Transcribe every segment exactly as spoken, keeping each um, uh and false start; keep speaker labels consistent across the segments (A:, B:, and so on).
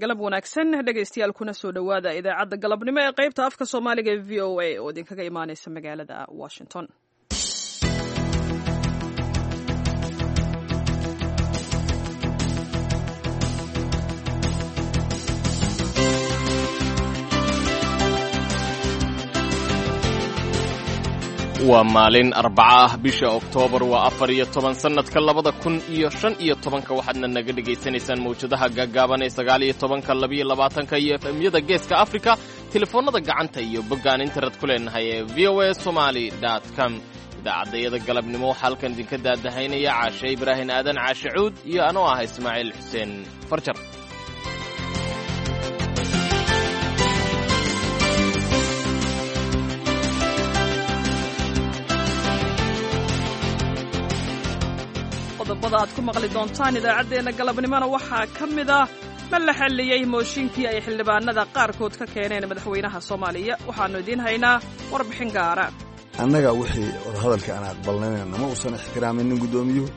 A: Galab wanaagsan, dhegaystayaal, kuna soo dhowaada idaacadda galabnimo ee qaybta afka Soomaaliga ee V O A oo idinkaga imaaneysa magaalada Washington.
B: Waa maalin Arbaca ah, bisha Oktoobar waa afar iyo toban sannadka labada kun iyo shan iyo tobanka. Waxaadna naga dhegaysanaysaan mawjadaha gaagaaban ee sagaal iyo tobanka, labiyo labaatanka iyo F M-yada Geeska Afrika, telefoonnada gacanta iyo boggaan internet ku leenahay ee V O A Somali com. Idaacaddayada galabnimo waxaa halkan idinka daadahaynaya Caashe Ibraahin Aadan, Caashe Cuud, iyo anoo ah Ismaaciil Xuseen Farjar.
A: Qodobada aad ku maqli doontaan idaacaddeenna galabnimona waxaa ka mid ah: ma la xalliyey mooshinkii ay xildhibaanada qaarkood ka keeneen madaxweynaha Soomaaliya? Waxaannu idiin haynaa warbixin gaara.
C: Annaga wixii wadahadalka aan aqbalnayna nama uusan ixtiraaminin guddoomiyuhu.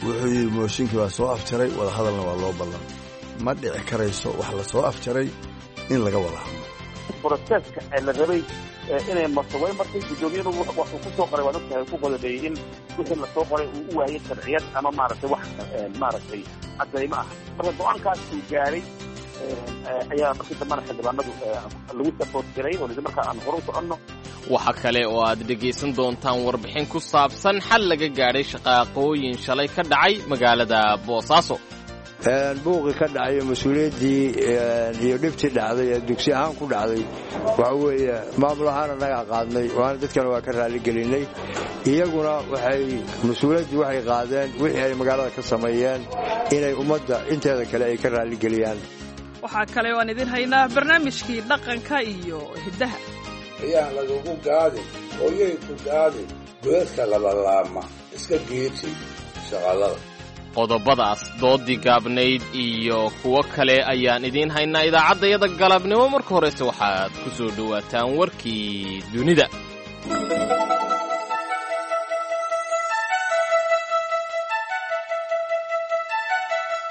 C: Wuxuu yidhi mooshinkii waa soo afjaray, wadahadalna waa loo ballan. Ma dhici karayso wax la soo afjaray in laga wada hadlo.
D: Process-ka la rabay inay marto way martay. Guddoomiyadu wuxuu ku soo qoray, waad ogtahay, ku qodobeeyey in wixii lasoo qoray uu u waayey sharciyad ama maaragtay wax maaragtay caddaymo ah. Marka go-aankaas uu gaaray ayaa markii dambana xildhibaanadu lagu support garay oo lidi markaa aan hore u soconno.
B: Waxa kale oo aad dhegaysan doontaan warbixin ku saabsan xal laga gaadhay shaqaaqooyin shalay ka dhacay magaalada Boosaaso.
E: Buuqii ka dhacay, mas-uuliyaddii iyo dhibtii dhacday ee dugsi ahaan ku dhacday, waxa weeye maamul ahaan annagaa qaadnay, waana dadkana waa ka raaligelinay. Iyaguna waxay mas-uuliyaddii waxay qaadeen wixii ay magaalada ka sameeyeen inay ummadda inteeda kale ay ka raaligeliyaan.
A: Waxaa kale oo aan idiin haynaa barnaamijkii dhaqanka iyo hiddaha.
F: Ayaan lagugu gaadin, hooyay ku gaadin, godadka labalaama iska geeji shaqalada.
B: Qodobadaas, doodii gaabnayd iyo kuwo kale ayaan idiin haynaa idaacaddayada galabnimo. Marka horese waxaad ku soo dhowaataan warkii dunida.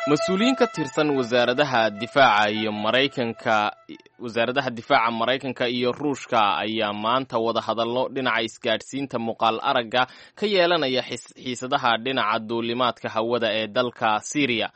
B: Mas-uuliyiin ka tirsan wasaaradaha difaaca iyo Maraykanka, wasaaradaha difaaca Maraykanka iyo Ruushka ayaa maanta wada hadallo dhinaca isgaadhsiinta muuqaal aragga ka yeelanaya xiisadaha dhinaca duulimaadka hawada ee dalka Syriya.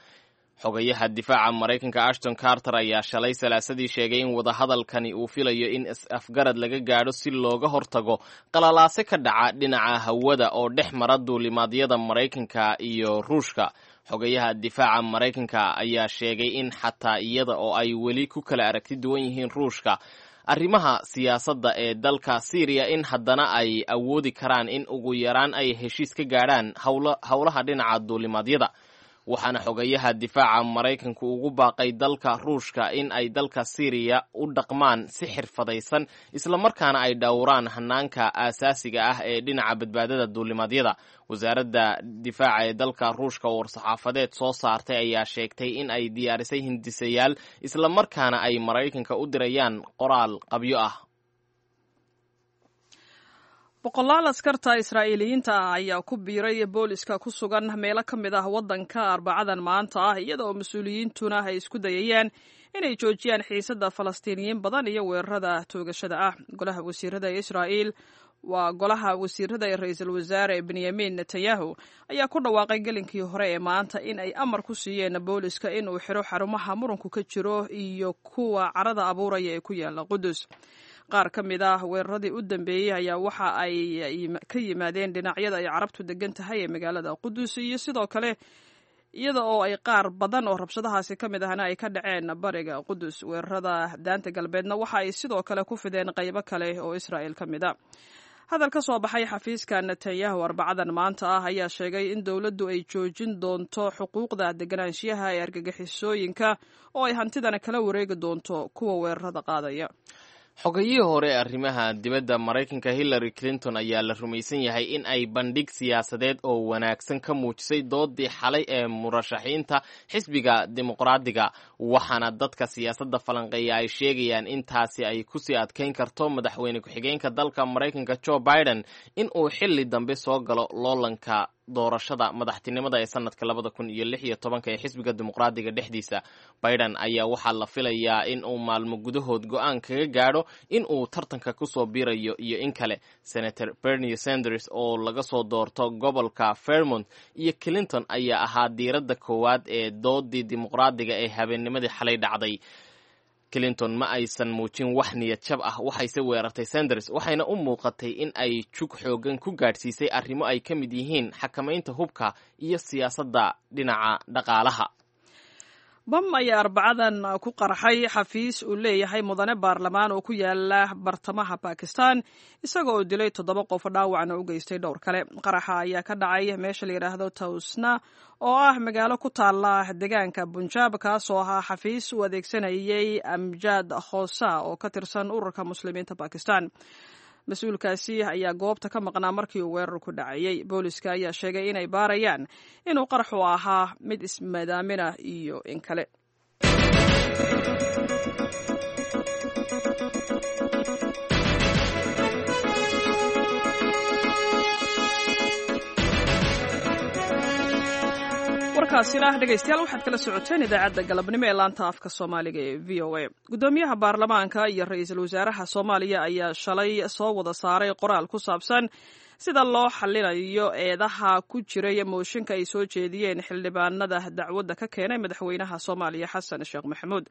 B: Xogayaha difaaca Maraykanka Ashton Carter ayaa shalay Salaasadii sheegay in wadahadalkani uu filayo in is-afgarad laga gaadho si looga hortago qalalaase ka dhaca dhinaca hawada oo dhex mara duulimaadyada Maraykanka iyo Ruushka. Xogayaha difaaca Maraykanka ayaa sheegay in xataa iyada oo ay weli ku kala aragti duwan yihiin Ruushka arrimaha siyaasadda ee dalka Syriya, in haddana ay awoodi karaan in ugu yaraan ay heshiis ka gaadhaan howlaha dhinaca duulimaadyada. Waxaana xogayaha difaaca Maraykanku ugu baaqay dalka Ruushka in ay dalka Syriya u dhaqmaan si xirfadaysan, islamarkaana ay dhowraan hanaanka aasaasiga ah ee dhinaca badbaadada duulimaadyada. Wasaaradda difaaca ee dalka Ruushka oo war-saxaafadeed soo saartay ayaa sheegtay in ay diyaarisay hindisayaal, islamarkaana ay Maraykanka u dirayaan qoraal qabyo ah.
A: Boqolaal askarta Israa'iiliyiinta ah ayaa ku biiray booliska ku sugan meelo ka mid ah waddanka Arbacadan maanta ah, iyada oo mas-uuliyiintuna ay isku dayayaan inay joojiyaan xiisadda Falastiiniyiin badan iyo weerarada toogashada ah. Golaha wasiirada ee Israa'iil, waa golaha wasiirada ee ra-iisul wasaare Benyamin Netanyahu, ayaa ku dhawaaqay gelinkii hore ee maanta in ay amar ku siiyeen booliska in uu xiro xarumaha muranku ka jiro iyo kuwa carada abuuraya ee ku yaala Qudus. Qaar ka mid ah weeraradii u dambeeyey ayaa waxa ay ka yimaadeen dhinacyada ay Carabtu degan tahay ee magaalada Qudus, iyo sidoo kale iyada oo ay qaar badan oo rabshadahaasi ka mid ahna ay ka dhaceen bariga Qudus. Weerarada Daanta Galbeedna waxa ay sidoo kale ku fideen qaybo kale oo Israa'il ka mid a. Hadal ka soo baxay xafiiska Netanyahu Arbacadan maanta ah ayaa sheegay in dowladdu ay joojin doonto xuquuqda deganaanshiyaha ee argagixisooyinka oo ay hantidana kala wareegi doonto kuwa weerarada qaadaya.
B: Xogayihii hore ee arrimaha dibadda Maraykanka Hillary Clinton ayaa la rumaysan yahay in ay bandhig siyaasadeed oo wanaagsan ka muujisay doodii xalay ee murashaxiinta xisbiga Dimuqraadiga. Waxaana dadka siyaasadda falanqeeya ay sheegayaan in taasi ay kusii adkeyn karto madaxweyne ku-xigeenka dalka Maraykanka Joe Biden in uu xilli dambe soo galo loolanka doorashada madaxtinimada ee sanadka labada kun iyo lix iyo tobanka ee xisbiga dimuqraadiga dhexdiisa. Biden ayaa waxaa la filayaa in uu maalmo gudahood go-aan kaga gaadho in uu tartanka kusoo biirayo iyo in kale. Senator Bernie Sanders oo laga soo doorto gobolka Vermont iyo Clinton ayaa ahaa diiradda koowaad ee doodii dimuqraadiga ee habeennimadii xalay dhacday. Clinton ma aysan muujin wax niyad jab ah, waxayse weerartay Sanders, waxayna u muuqatay in ay jug xoogan ku gaadhsiisay arrimo ay ka mid yihiin xakamaynta hubka iyo siyaasadda dhinaca dhaqaalaha.
A: Bam ayaa arbacadan ku qarxay xafiis uu leeyahay mudane baarlamaan oo ku yaala bartamaha Bakistan, isaga oo dilay toddoba qof, dhaawacna u geystay dhowr kale. Qaraxa ayaa ka dhacay meesha la yidhaahdo Tawsna oo ah magaalo ku taala deegaanka Bunjaab, kaasoo ahaa xafiis uu adeegsanayay Amjad Khosa oo ka tirsan ururka Muslimiinta Bakistan. Mas-uulkaasi ayaa goobta ka maqnaa markii uu weerarku dhacayey. Booliska ayaa sheegay inay baarayaan inuu qaraxu ahaa mid ismadaaminah iyo in kale. Warkaasina dhegeystayaal waxaad kala socoteen idaacadda galabnimo ee laanta afka Soomaaliga ee V O A. Guddoomiyaha baarlamaanka iyo ra-iisul wasaaraha Soomaaliya ayaa shalay soo wada saaray qoraal ku saabsan sida loo xalinayo eedaha ku jiray mooshinka ay soo jeediyeen xildhibaanada dacwadda ka keenay madaxweynaha Soomaaliya Xasan Sheekh Maxamuud.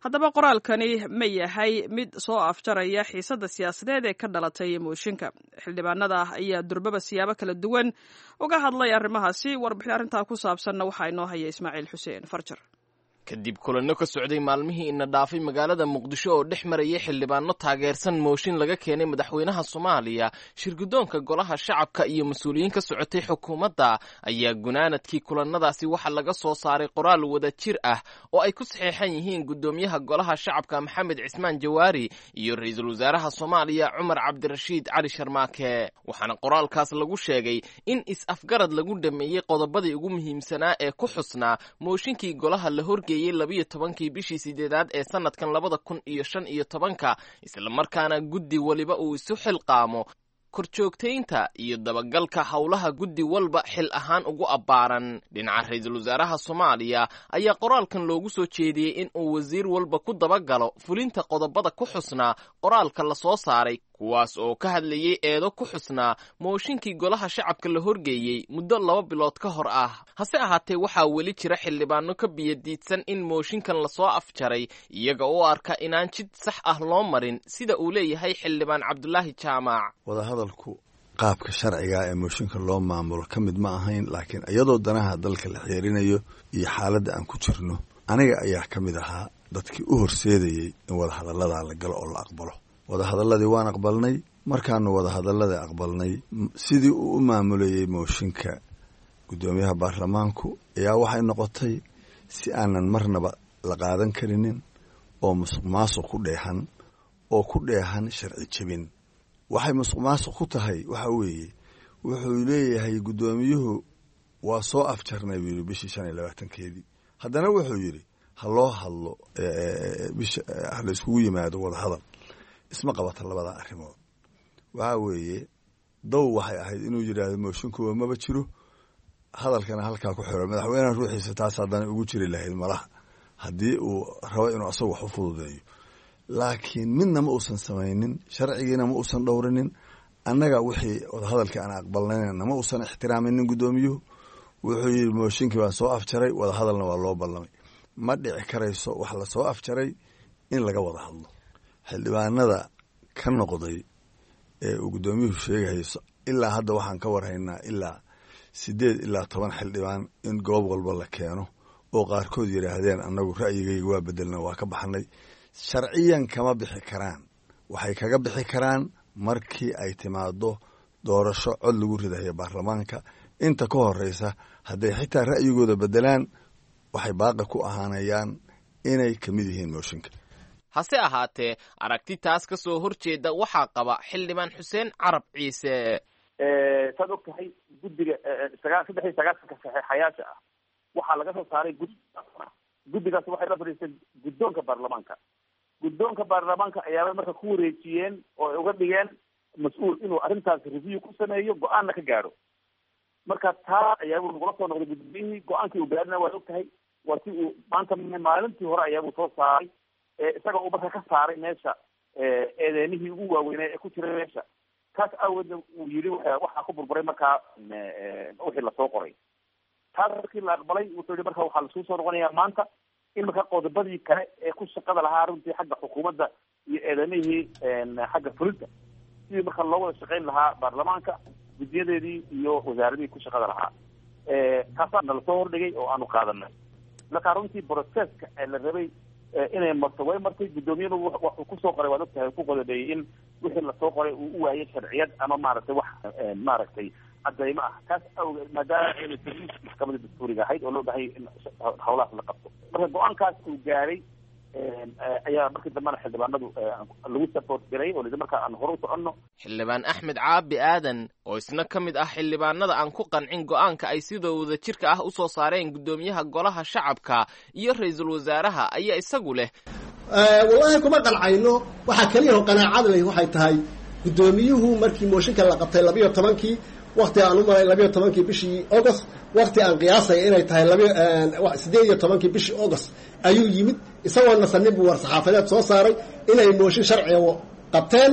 A: Haddaba qoraalkani ma yahay mid soo afjaraya xiisadda siyaasadeed ee ka dhalatay mooshinka? Xildhibaanada ayaa durbaba siyaabo kala duwan uga hadlay arrimahaasi. Warbixin arrintaa ku saabsanna waxaa inoo haya Ismaaciil Xuseen Farjar.
B: Kadib kulanno ka socday maalmihii ina dhaafay magaalada Muqdisho oo dhex marayay xildhibaano taageersan mooshin laga keenay madaxweynaha Soomaaliya, shirguddoonka golaha shacabka iyo mas-uuliyiin ka socotay xukuumadda ayaa gunaanadkii kulannadaasi waxaa laga soo saaray qoraal wada jir ah oo ay ku saxeexan yihiin guddoomiyaha golaha shacabka Maxamed Cismaan Jawaari iyo ra-iisul wasaaraha Soomaaliya Cumar Cabdirashiid Cali Sharmaake. Waxaana qoraalkaas lagu sheegay in is-afgarad lagu dhameeyey qodobadii ugu muhiimsanaa ee ku xusnaa mooshinkii golaha la horgeeyay labiyo tobankii bishii sideedaad ee sanadkan labada kun iyo shan iyo tobanka, islamarkaana guddi waliba uu isu xilqaamo korjoogtaynta iyo dabagalka howlaha guddi walba xil ahaan ugu abbaaran. Dhinaca ra-iisul wasaaraha Soomaaliya ayaa qoraalkan loogu soo jeediyey in uu wasiir walba ku dabagalo fulinta qodobada ku xusnaa qoraalka la soo saaray, kuwaas oo ka hadlayey eedo ku xusnaa mooshinkii golaha shacabka la horgeeyey muddo laba bilood ka hor ah. Hase ahaatee waxaa weli jira xildhibaano ka biyadiidsan in mooshinkan lasoo afjaray, iyaga oo arka inaan jid sax ah loo marin, sida uu leeyahay xildhibaan Cabdulaahi Jaamac.
C: Wadahadalku qaabka sharciga ee mooshinka loo maamulo ka mid ma ahayn, laakiin iyadoo danaha dalka la xeerinayo iyo xaaladda aan ku jirno, aniga ayaa ka mid ahaa dadkii u horseedayey in wadahadalladaa la galo oo la aqbalo. Wadahadalladii waan aqbalnay. Markaanu wadahadalladii aqbalnay, sidii uu u maamulayey mooshinka guddoomiyaha baarlamaanku ayaa waxay noqotay si aanan marnaba la qaadan karinin oo musuq maasuq ku dheehan oo ku dheehan sharci jebin. Waxay musuq maasuq ku tahay waxa weeye, wuxuu leeyahay guddoomiyuhu waa soo afjarnay buu yidhi bishii shan iyo labaatankeedii. Haddana wuxuu yidhi ha loo hadlo bisha, ha la iskugu yimaado wadahadal. Isma qabata labada arrimood. Waxaa weeye dow waxay ahayd inuu yidhaahdo mooshinkuwa maba jiro, hadalkana halkaa ku xiro. Madaxweynaha ruuxiisa taas haddana ugu jiri lahayd malaha haddii uu rabo inuu asagu wax u fududeeyo, laakiin midna ma uusan samaynin, sharcigiina ma uusan dhowrinin. Annaga wixii wadahadalkii aan aqbalnayna ma uusan ixtiraaminin guddoomiyuhu. Wuxuu yidhi mooshinkii baan soo afjaray, wadahadalna waa loo ballamay. Ma dhici karayso wax lasoo afjaray in laga wada hadlo. Xildhibaanada ka noqday ee uu guddoomiyuhu sheegayo, ilaa hadda waxaan ka warhaynaa ilaa sideed ilaa toban xildhibaan in goob walba la keeno oo qaarkood yidhaahdeen annagu ra'yigayga waa bedelna, waa ka baxnay. Sharciyan kama bixi karaan, waxay kaga bixi karaan markii ay timaado doorasho cod lagu ridayo baarlamaanka. Inta ka horeysa hadday xitaa ra'yigooda bedelaan, waxay baaqi ku ahaanayaan inay ka mid yihiin mooshinka.
B: Hase ahaatee aragti taas ka soo horjeeda waxaa qaba xildhibaan Xuseen Carab Ciise.
D: Saad og tahay guddiga sagaa saddex iyo sagaasanka saxeexayaasha ah waxaa laga soo saaray guddi. Guddigaas waxay la fadhiisteen guddoonka baarlamaanka. Guddoonka baarlamaanka ayaaba marka ku wareejiyeen oo ay uga dhigeen mas-uul inuu arrintaas review ku sameeyo, go-aanna ka gaadho. Marka Marka taa ayaabuu nagula soo noqday guddoomiyihii, go-aankii uu gaarina waad og tahay, waa si uu maanta maalintii hore ayaabuu soo saaray, isaga uu marka ka saaray meesha eedeemihii ugu waaweynaa ee ku jiray meesha. Taas aaweedna uu yidhi waxaa ku burburay markaa wixii lasoo qoray. Taas markii la aqbalay wuxuu yihi marka waxaa lasuu soo noqonayaa maanta in marka qodobadii kale ee ku shaqada lahaa runtii xagga xukuumadda iyo eedamihii xagga fulinta sidii marka loo wada shaqayn lahaa baarlamaanka guddiyadeedii iyo wasaaradihii ku shaqada lahaa, taasaa nala soo hordhigay oo aanu qaadanay. Marka runtii processka la rabay inay marto way martay. Guddoomiyadu wuxuu kusoo qoray waad ogtahay, ku qodobeeyey in wixii lasoo qoray uu u waayay sharciyad ama maaragtay wax maaragtay cadaymo ah. Taas awgeed maadaama ayna jirin maxkamadda dastuuriga ahayd oo loo baahayay in hawlahaas la qabto, marka go-aankaas uu gaaray ayaa markii dambena xildhibaanadu lagu support garay oo marka aan hore u soconno.
B: Xildhibaan Axmed Caabi Aadan oo isna ka mid ah xildhibaanada aan ku qancin go'aanka ay sida wadajirka ah u soo saareen guddoomiyaha golaha shacabka iyo ra-iisul wasaaraha ayaa isagu leh,
G: wallaahi kuma qancayno. Waxaa keliya oo qanaacad leh waxay tahay guddoomiyuhu markii mooshinka la qabtay labiyo tobankii wakti aan u maray labiyo tobankii bishii August, wakti aan qiyaasaya inay tahay laba sideed iyo tobankii bishii August ayuu yimid isagoo nasanin buu war saxaafadeed soo saaray inay mooshin sharciga qabteen,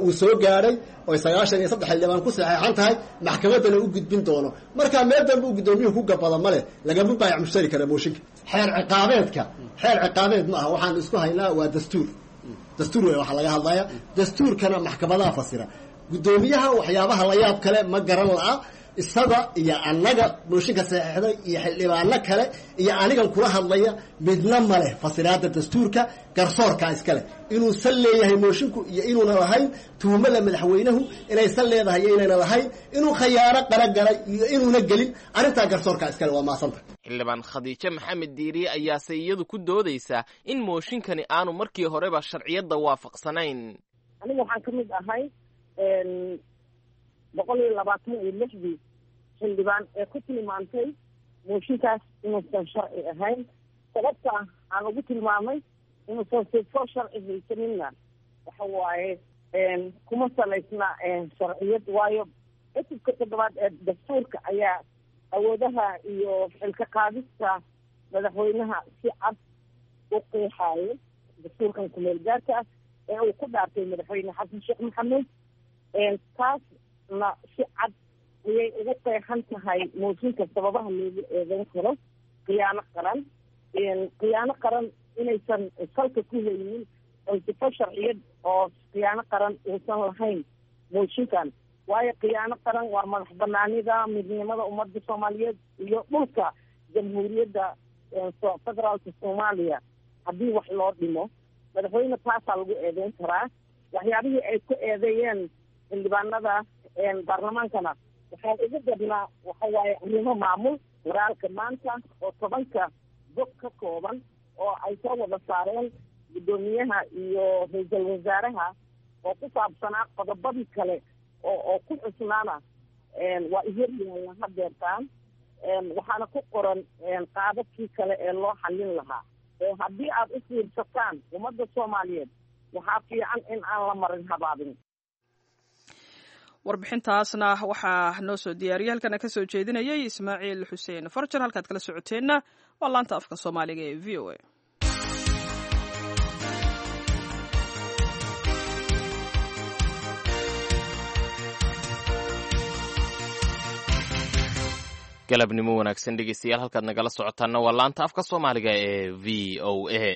G: uu soo gaadhay oy sagaashan iyo saddex xildhibaan ku saxeexan tahay, maxkamaddana u gudbin doono. Markaa meel dambe uu guddoomiyuhu ku gabado ma leh, lagama baayac mushtari kara mooshinka. Xeer ciqaabeedka xeer ciqaabeed ma aha, waxaan isku haynaa waa dastuur. Dastuur wey waxaa laga hadlaya, dastuurkana maxkamadaha fasira. Guddoomiyaha waxyaabaha la yaab kale ma garan la'a, isaga iyo annaga mooshinka saxeexday iyo xildhibaano kale iyo anigan kula hadlaya midna ma leh fasiraadda dastuurka, garsoorkaa iskale inuu sal leeyahay moshinku iyo inuuna lahayn, tuhumada madaxweynuhu inay sal leedahay iyo inayna lahayn, inuu khayaano qaragalay iyo inuuna gelin, arrintaa garsoorkaa iskale. Waa maasanta.
B: Xildhibaan Khadiijo Maxamed Diiriye ayaase iyadu ku doodaysaa in mooshinkani aanu markii horeba sharciyadda waafaqsanayn.
H: Aniga waxaan ka mid ahay boqol iyo labaatan iyo lixdii xildhibaan ee ku tilmaantay mooshinkaas inuusan sharci ahayn. Sababta aan ugu tilmaamay inuusan sifo sharci haysaninna waxa waaye kuma salaysna sharciyad, waayo cutubka toddobaad ee dastuurka ayaa awoodaha iyo xilka qaadista madaxweynaha si cad u qeexaayo. Dastuurkan kumeel gaarka ah ee uu ku dhaartay madaxweyne Xasan Sheekh Maxamuud, taasna si cad ayay ugu qeexan tahay mooshinka sababaha loogu eedeyn karo khiyaano qaran. Khiyaano qaran inaysan salka ku haynin oo sifo sharciyad oo khiyaano qaran uusan lahayn mooshinkan, waayo khiyaano qaran waa madax banaanida midnimada ummadda Soomaaliyeed iyo dhulka jamhuuriyadda federaalka Soomaaliya haddii wax loo dhimo madaxweyne taasaa lagu eedeyn karaa. Waxyaabihii ay ku eedeeyeen xildhibaanada baarlamaankana waxaa ugu badnaa waxa waaye arrimo maamul. Waraalka maanta oo tobanka bog ka kooban oo ay soo wada saareen guddoomiyaha iyo ra-iisul wasaaraha oo ku saabsanaa qodobadii kale oo oo ku xusnaana waa ihoryaalla hadeertaan, waxaana ku qoran qaababkii kale ee loo xallin lahaa. Haddii aad u fiirsataan ummadda Soomaaliyeed waxaa fiican in aan la marin habaabin.
A: Warbixintaasna waxaa noo soo diyaariyay halkana ka soo jeedinayay Ismaaciil Xuseen Farjar. Halkaad kala socoteenna waa laanta afka Soomaaliga ee V O A.
B: Galabnimo wanaagsan dhegeystayaal, halkaad nagala socotaanna waa laanta afka Soomaaliga ee V O A.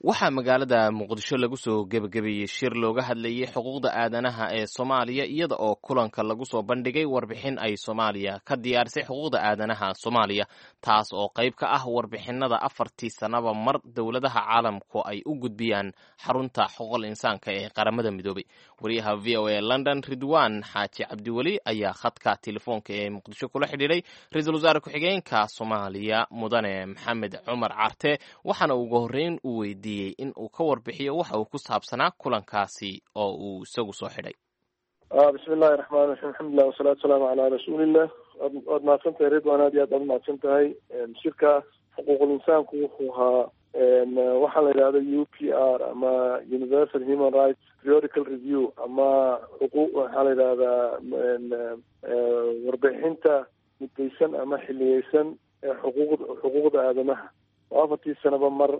B: Waxaa magaalada Muqdisho lagu soo gebagabeeyey shir looga hadlayey xuquuqda aadanaha ee Soomaaliya, iyada oo kulanka lagu soo bandhigay warbixin ay Soomaaliya ka diyaarisay xuquuqda aadanaha Soomaaliya, taas oo qayb ka ah warbixinada afartii sannaba mar dowladaha caalamku ay u gudbiyaan xarunta xuquuqul insaanka ee Qaramada Midoobay. Wariyaha V O A London Ridwaan Xaaji Cabdiweli ayaa khadka telefoonka ee Muqdisho kula xidhiidhay ra-iisul wasaare ku-xigeenka Soomaaliya Mudane Maxamed Cumar Carte, waxaana ugu horreyn uu weydiiyey in uu ka warbixiyo waxa uu ku saabsanaa kulankaasi oo uu isagu soo xidhay.
I: Bismi illahi raxmaan raxiim, alxamdulilah wasalaatu wasalaamu calaa rasuulillah. Waad mahadsan tahay Ridwan, aad iyo aad baad umahadsan tahay. Shirka xuquuqul insaanku wuxuu ahaa waxaa la yidhahda U P R ama Universal Human Rights Periodical Review ama xuquuq waxaa la yidhahdaa warbixinta mudaysan ama xiliyeysan ee xuquuqda xuquuqda aadamaha oo afartii sanaba mar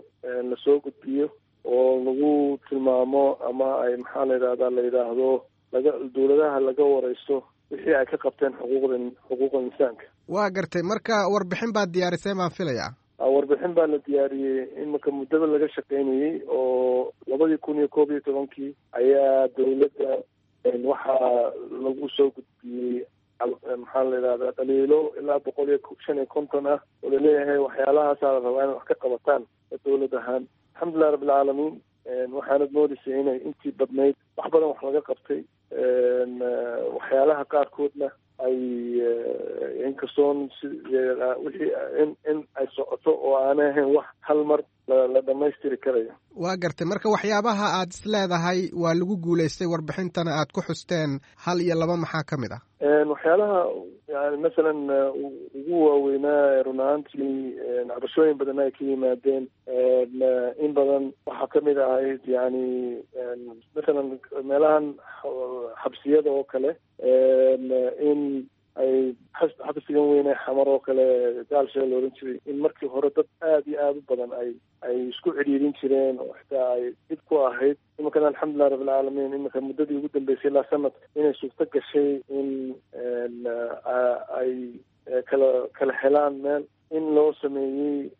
I: lasoo gudbiyo oo lagu tilmaamo ama ay maxaa la yidhahdaa la yidhaahdo laga dowladaha laga wareysto wixii ay ka qabteen xuquuqda xuquuqda insaanka.
J: Waa gartay. Marka warbixin baad diyaarisay baan filayaa.
I: Warbixin baa la diyaariyey imika muddada laga shaqeynayey oo labadii kun iyo koob iyo tobankii ayaa dowladda waxaa lagu soo gudbiyey maxaa la yidhahdaa dhaliilo ilaa boqol iyo shan iyo konton ah oo laleeyahay waxyaalahaasaa la rabaa inay wax ka qabataan dowlad ahaan. Alxamdulilah rabbilcaalamiin, waxaanad moodaysay inay intii badnayd wax badan wax laga qabtay, waxyaalaha qaarkoodna ay inkastoon si wixii in in ay socoto oo aanay ahayn wax hal mar la dhamaystiri karayo.
J: Waa gartay. Marka waxyaabaha aad is leedahay waa lagu guulaystay warbixintana aad ku xusteen hal iyo laba maxaa ka mid ah?
I: Waxyaalaha yani masalan ugu waaweynaa run ahaantii cabashooyin badan ay ka yimaadeen in badan waxaa kamid ahayd yani masalan meelahan xabsiyada oo kale in ay xabsigan weyne Xamar oo kale gaalsha la oran jiray in markii hore dad aada iyo aada u badan ay ay isku cidhiirin jireen oo xitaa ay dhib ku ahayd. Iminkana alxamdulilah rabbilcaalamiin, iminka muddadii ugu dambeysay ilaa sanad inay suurto gashay in ay kala kala helaan meel in loo sameeyey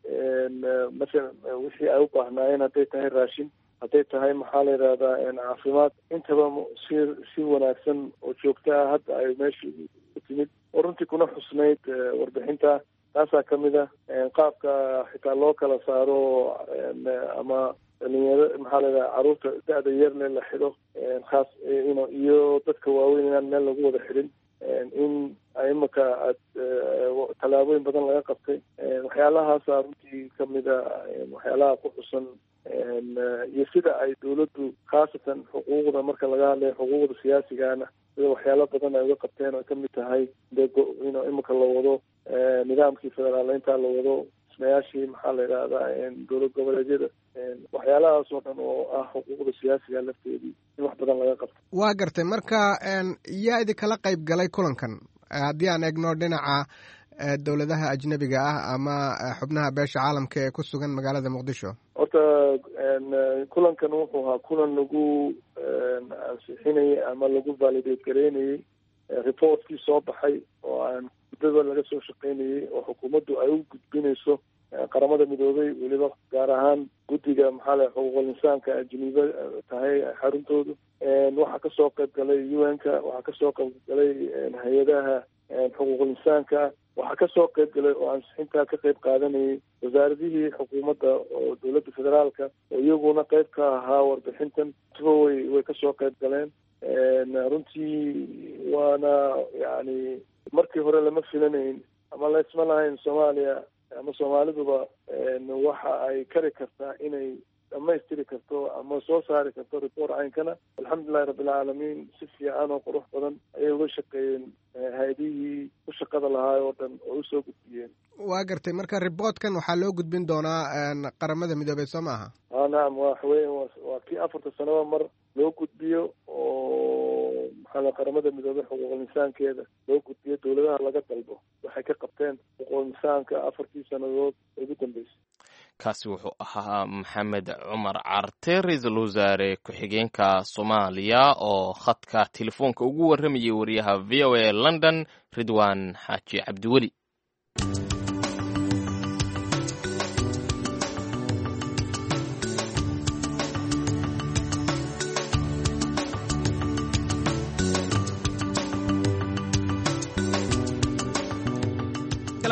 I: masalan wixii ay u baahnaayeen, hadday tahay raashin, hadday tahay maxaa la yidhahdaa caafimaad, intaba si si wanaagsan oo joogto ah hadda ay meesha ku timid oo runtii kuna xusnayd warbixinta. Taasaa kamid ah qaabka xitaa loo kala saaro ama dhalinyaro maxaa la yidhahdaa carruurta da-da yarle la xidho khaas ino iyo dadka waaweyn inaan meel lagu wada xidhin, in imika aad tallaabooyin badan laga qabtay. Waxyaalahaasa runtii kamid a waxyaalaha ku xusan iyo sida ay dowladdu khaasatan xuquuqda marka laga hadlayo xuquuqda siyaasigana sida waxyaalo badan ay uga qabteen oo kamid tahay ino imika la wado nidaamkii federaaleynta la wado, dhismayaashii maxaa la yidhahdaa dowlad goboleedyada, waxyaalahaas oo dhan oo ah xuquuqda siyaasiga lafteedii in wax badan laga qabto.
J: Waa gartay. Marka yaa idinkala qayb galay kulankan haddii aan eegno dhinaca dowladaha ajnabiga ah ama xubnaha beesha caalamka ee ku sugan magaalada Muqdisho?
I: Horta kulankan wuxuu ahaa kulan lagu ansixinayay ama lagu validate gareynayey reportkii soo baxay oo aan muddada laga soo shaqeynayey oo xukuumaddu ay u gudbinayso Qaramada Midoobay, weliba gaar ahaan guddiga maxaa la xuquuqul insaanka Jeniiva tahay xaruntoodu. Waxaa kasoo qayb galay U N-ka, waxaa kasoo qayb galay hay-adaha xuquuqul insaanka, waxaa kasoo qayb galay oo ansixintaa ka qayb qaadanayay wasaaradihii xukuumadda oo dowladda federaalka oo iyaguna qayb ka ahaa warbixintan tuba way way kasoo qayb galeen. Runtii waana yani markii hore lama filanayn ama laysma lahayn Soomaaliya ama Soomaaliduba waxa ay kari kartaa inay dhamaystiri karto ama soo saari karto report caynkana. Alxamdulilahi rabbilcaalamiin, si fiican oo qurux badan ayay uga shaqeeyeen hay-adihii u shaqada lahaa oo dhan oo usoo gudbiyeen.
J: Waa gartay. Marka reportkan waxaa loo gudbin doonaa Qaramada Midoobey soo maaha?
I: A nacam, waxaweya waa kii afarta sanaba mar loo gudbiyo oo maxaa la Qaramada Midoobey xuquuqul insaankeeda loo gudbiyo dowladaha laga dalbo waxay ka qabteen xuquuqul insaanka afartii sanadood ugu dambeysay.
B: Kaasi wuxuu ahaa Maxamed Cumar Carte, ra-iisul wasaare ku-xigeenka Soomaaliya oo khadka telefoonka ugu warramayay wariyaha V O A London Ridwaan Xaaji Cabdiweli.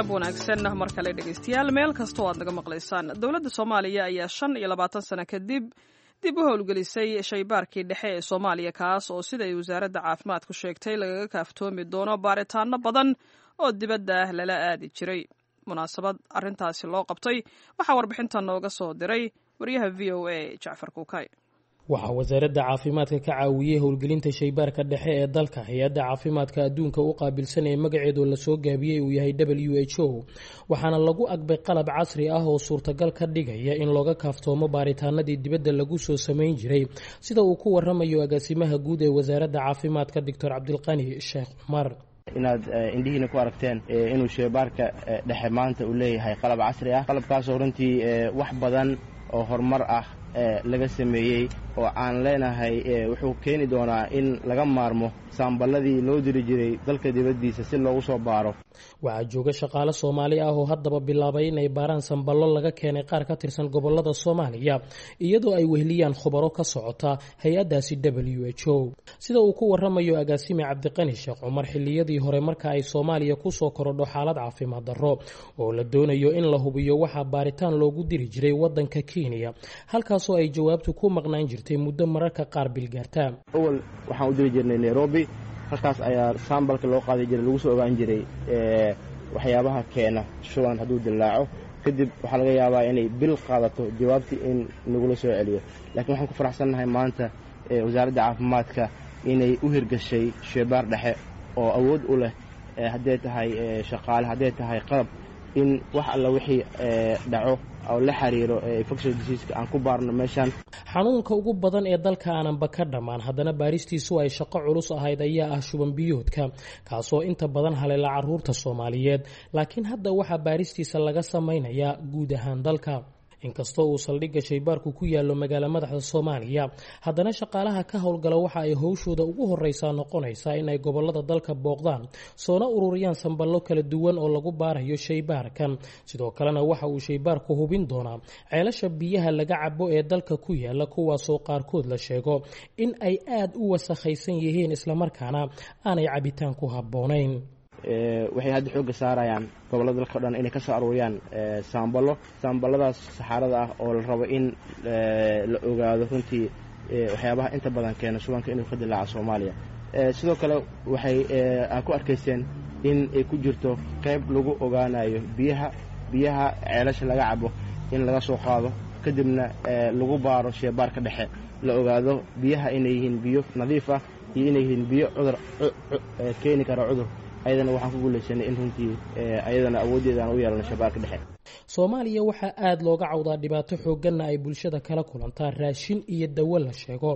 A: Wanaagsan mar kale dhegeystayaal, meel kastoo aad naga maqlaysaan. Dowladda Soomaaliya ayaa shan iyo labaatan sano kadib dib u howlgelisay shaybaarkii dhexe ee Soomaaliya, kaas oo siday wasaaradda caafimaadku sheegtay lagaga kaaftoomi doono baaritaano badan oo dibadda ah lala aadi jiray. Munaasabad arrintaasi loo qabtay waxaa warbixintan nooga soo diray wariyaha V O A Jacfar Kuukay.
K: Waxaa wasaaradda caafimaadka ka caawiyey howlgelinta shaybaarka dhexe ee dalka hay-adda caafimaadka adduunka u qaabilsan ee magaceedu lasoo gaabiyey uu yahay W H O, waxaana lagu agbay qalab casri ah oo suurtagal ka dhigaya in looga kaaftoomo baaritaanadii dibadda lagu soo samayn jiray, sida uu ku waramayo agaasimaha guud ee wasaaradda caafimaadka Doctor Cabdilqani Sheekh Cumar.
L: Inaad indhihiina ku aragteen inuu sheybaarka dhexe maanta uu leeyahay qalab casri ah, qalabkaasoo runtii wax badan oo horumar ah laga sameeyey oo aan leenahay wuxuu keeni doonaa in laga maarmo saamballadii loo diri jiray dalka dibaddiisa si loogu soo baaro.
K: Waxaa jooga shaqaale Soomaali ah oo haddaba bilaabay inay baaraan samballo laga keenay qaar ka tirsan gobollada Soomaaliya, iyadoo ay weheliyaan khubaro ka socota hay-addaasi W H O. Sida uu ku waramayo agaasime Cabdiqani Sheekh Cumar, xilliyadii hore marka ay Soomaaliya kusoo korodho xaalad caafimaad darro oo la doonayo in la hubiyo, waxaa baaritaan loogu diri jiray wadanka Kenya, halkaasoo ay jawaabtu ku maqnaan jirtay muddo mararka qaar bilgaarta.
L: Awal waxaan u diri jirnay Nairobi, halkaas ayaa sambalka loo qaadi jiray, lagu soo ogaan jiray waxyaabaha keena shuban. Hadduu dillaaco kadib, waxaa laga yaabaa inay bil qaadato jawaabtii in nagula soo celiyo. Laakiin waxaan ku faraxsannahay maanta Wasaaradda Caafimaadka inay u hirgashay sheebaar dhexe oo awood u leh, hadday tahay shaqaale, hadday tahay qalab, in wax alla wixii dhaco oo la xiriiro infectious diseaseka aan ku baarno meeshaan.
K: Xanuunka ugu badan ee dalka aananba ka dhammaan, haddana baaristiisu ay shaqo culus ahayd, ayaa ah shuban biyoodka, kaasoo inta badan haleela caruurta Soomaaliyeed. Laakiin hadda waxaa baaristiisa laga samaynayaa guud ahaan dalka. Inkastoo uu saldhigga shaybaarku ku yaallo magaalo madaxda Soomaaliya, haddana shaqaalaha ka howlgala waxa ay howshooda ugu horeysaa noqonaysaa inay gobolada dalka booqdaan, soona ururiyaan samballo kala duwan oo lagu baarayo shaybaarkan. Sidoo kalena waxa uu shaybaarku hubin doonaa ceelasha biyaha laga cabo ee dalka ku yaala, kuwaasoo qaarkood la sheego in ay aada u wasakhaysan yihiin, islamarkaana aanay cabitaan ku habboonayn.
L: Waxay hadda xoogga saarayaan gobollada dalka o dhan inay ka soo aruuriyaan saamballo, saamballadaas saxaarada ah oo la rabo in la ogaado runtii waxyaabaha inta badan keena shubanka inuu ka dilaaco Soomaaliya. Sidoo kale waxay aa ku arkayseen in ay ku jirto qayb lagu ogaanayo biyaha biyaha ceelasha laga cabo, in laga soo qaado, kadibna lagu baaro sheebaarka dhexe, la ogaado biyaha inay yihiin biyo nadiif ah iyo inay yihiin biyo cudur keeni kara cudur. Ayadana waxaan ku guulaysanay in runtii ayadana awooddeeda aan u yeelano shabaarka dhexe.
K: Soomaaliya waxaa aada looga cawdaa, dhibaato xoogganna ay bulshada kala kulantaa raashin iyo dawo la sheego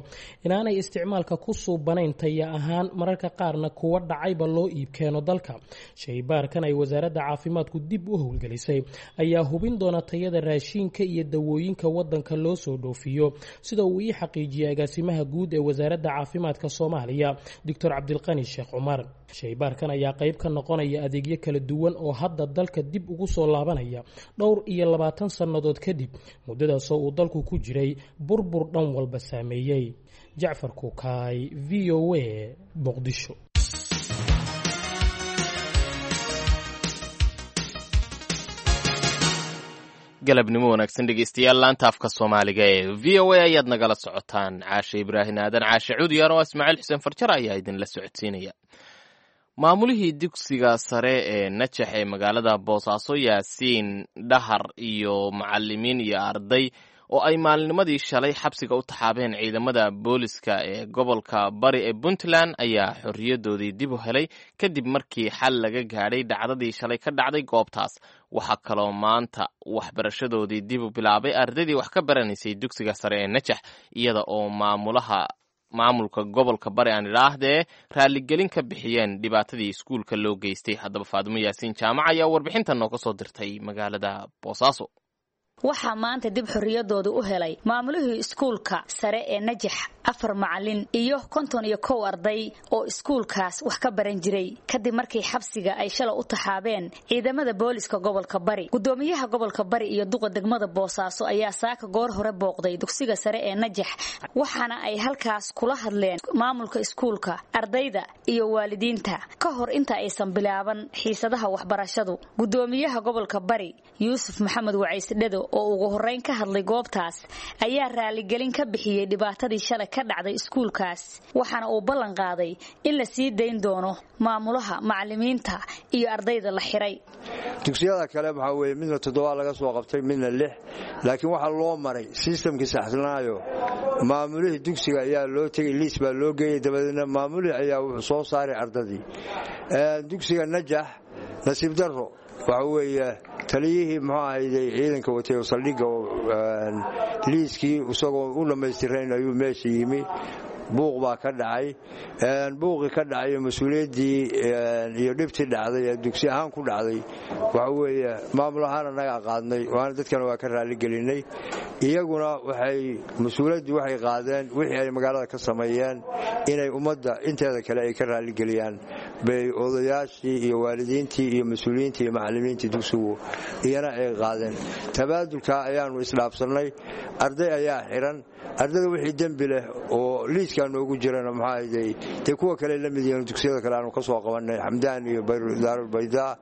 K: inaanay isticmaalka ku suubanayn taya ahaan, mararka qaarna kuwa dhacayba loo iib keeno dalka. Shaybaarkan ay Wasaaradda Caafimaadku dib u howlgelisay ayaa hubin doona tayada raashinka iyo dawooyinka wadanka loo soo dhoofiyo, sida uu ii xaqiijiyey agaasimaha guud ee Wasaaradda Caafimaadka Soomaaliya, Doctor Cabdilqani Sheekh Cumar. Shaybaarkan ayaa qayb ka noqonaya adeegyo kala duwan oo hadda dalka dib ugu soo laabanaya dhowr iyo labaatan sannadood kadib, muddadaasoo uu dalku ku jiray burbur dhan walba saameeyey. Jacfar Kukaay, V O A, Muqdisho.
B: Galabnimo wanaagsan, dhegeystayaal. Laanta afka Soomaaliga ee V O A ayaad nagala socotaan. Caashe Ibraahin Aadan Caashe Cuudiyaan oo Ismaaciil Xuseen Farjar ayaa idinla socodsiinaya. Maamulihii dugsiga sare ee Najax ee magaalada Boosaaso, Yaasiin Dhahar, iyo macalimiin iyo arday oo ay maalinimadii shalay xabsiga u taxaabeen ciidamada booliska ee gobolka Bari ee Puntland ayaa xorriyadoodii dib u helay kadib markii xal laga gaadhay dhacdadii shalay ka dhacday goobtaas. Waxaa kaloo maanta waxbarashadoodii dib u bilaabay ardaydii wax ka baranaysay dugsiga sare ee Najax, iyada oo maamulaha maamulka gobolka Bari, aan idhaahdee, raaligelin ka bixiyeen dhibaatadii iskuulka loo geystay. Haddaba Faadimo Yaasiin Jaamac ayaa warbixintan nooga soo dirtay magaalada Boosaaso.
M: Waxaa maanta dib xorriyadooda u helay maamulihii iskuulka sare ee Najax, afar macalin iyo konton iyo kow arday oo iskuulkaas wax ka baran jiray, kadib markii xabsiga ay shalay u taxaabeen ciidamada booliska gobolka Bari. Gudoomiyaha gobolka Bari iyo duqa degmada Boosaaso ayaa saaka goor hore booqday dugsiga sare ee Najax, waxaana ay halkaas kula hadleen maamulka iskuulka, ardayda iyo waalidiinta ka hor inta aysan bilaaban xiisadaha waxbarashadu. Gudoomiyaha gobolka Bari, Yuusuf Maxamed Wacaysdhado, oo ugu horreyn ka hadlay goobtaas, ayaa raaligelin ka bixiyey dhibaatadii shalay ka dhacday iskuulkaas, waxaana uu ballan qaaday in la sii dayn doono maamulaha, macalimiinta iyo ardayda la xiray.
E: Dugsiyada kale waxaa weeye midna toddoba laga soo qabtay, midna lix, laakiin waxaa loo maray sistamkii saxsanaayo. Maamulihii dugsiga ayaa loo tegey, liis baa loo geeyey, dabadeedna maamulihii ayaa wuxuu soo saaray ardadii dugsiga Najax. Nasiib darro waxa weeye taliyihii muxuu ahayday ciidanka watay oo saldhigga, liiskii isagoo u dhammaystirayn ayuu meesha yimi. Buuq baa ka dhacay, buuqii ka dhacay mas-uuliyaddii iyo dhibtii dhacday ee dugsi ahaan ku dhacday waxa weeye maamul ahaan annagaa qaadnay, waana dadkana waa ka raaligelinay. Iyaguna waxay mas-uuliyaddii waxay qaadeen wixii ay magaalada ka sameeyeen inay ummadda inteeda kale ay ka raaligeliyaan bay odayaashii iyo waalidiintii iyo mas-uuliyiintii iyo macallimiintii dugsigu iyana ay qaadeen. Tabaadulka ayaannu isdhaafsannay. Arday ayaa xiran, ardayda wixii dembi leh oo liiskaa noogu jirana maxaa dee kuwa kale la mid yihiin dugsiyada kale aanu ka soo qabannay Xamdaan iyo Daarulbaydaa.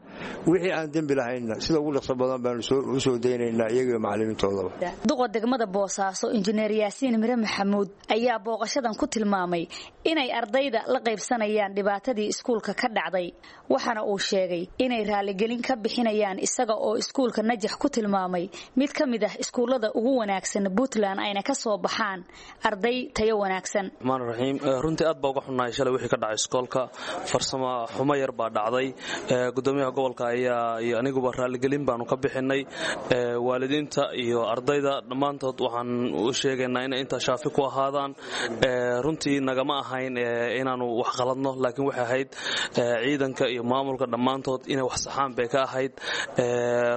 E: Wixii aan dembi lahaynna sida ugu dhaqso badan baanu u soo daynaynaa iyaga iyo macallimiintoodaba.
M: Duqa degmada Boosaaso Injineer Yaasiin Mire Maxamuud ayaa booqashadan ku tilmaamay inay ardayda la qaybsanayaan dhibaatadii iskuulka ka dhacday, waxaana uu sheegay inay raaligelin ka bixinayaan, isaga oo iskuulka Najax ku tilmaamay mid ka mid ah iskuullada ugu wanaagsan Puntland ayna ka soo baxaan arday tayo wanaagsan.
N: Raxmaan raxiim, runtii aad baa uga xunnahay shalay wixii ka dhacay iskoolka. Farsamo xumo yar baa dhacday. Gudoomiyaha gobolka ayaa iyo aniguba raaligelin baanu ka bixinay. Waalidiinta iyo ardayda dhammaantood waxaan u sheegaynaa inay intaa shaafi ku ahaadaan. Runtii nagama ahayn inaanu wax qaladno, laakiin waxay ahayd ciidanka iyo maamulka dhammaantood inay wax saxaan bay ka ahayd.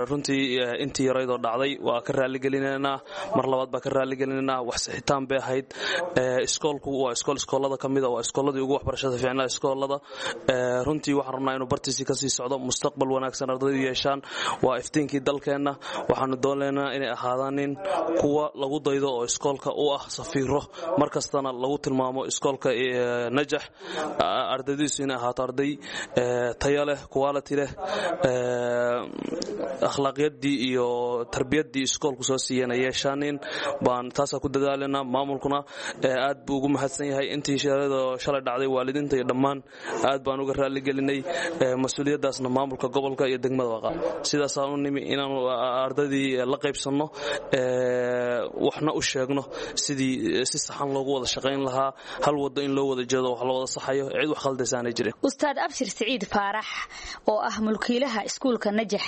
N: Runtii intii yaraydoo dhacday waa ka raaligelinaynaa, mar labaad baa ka raaligelinaynaa. Wax sixitaan bay ahayd. Iskoolku waa iskool iskoolada ka mida, waa iskooladii ugu waxbarashada fiicnaa iskoolada. Runtii waxaan rabnaa inuu bartiisii kasii socdo, mustaqbal wanaagsan ardaydu yeeshaan. Waa iftiinkii dalkeenna. Waxaanu doonaynaa inay ahaadaanin kuwa lagu daydo oo iskoolka u ah safiiro, mar kastana lagu tilmaamo iskoolka Najax ardaydiisu inay ahaato arday tayo leh, quality leh, akhlaaqyaddii iyo tarbiyaddii iskoolku soo siiyeen ay yeeshaanin baan taasaa ku dadaalanaa. Maamulkuna aad buu ugu mahadsan yahay intii shalay dhacday. Waalidiinta iyo dhammaan aad baan uga raaligelinay. Mas-uuliyaddaasna maamulka gobolka iyo degmada waa qaad. Sidaasaan u nimi inaanu ardaydii la qaybsanno, waxna u sheegno sidii si saxan loogu wada shaqayn lahaa, hal wado in loo wada jeedo, wax la wada saxayo, cid wax khaldaysaanay jirin.
M: Ustaad Abshir Siciid Faarax oo ah mulkiilaha iskuulka Najax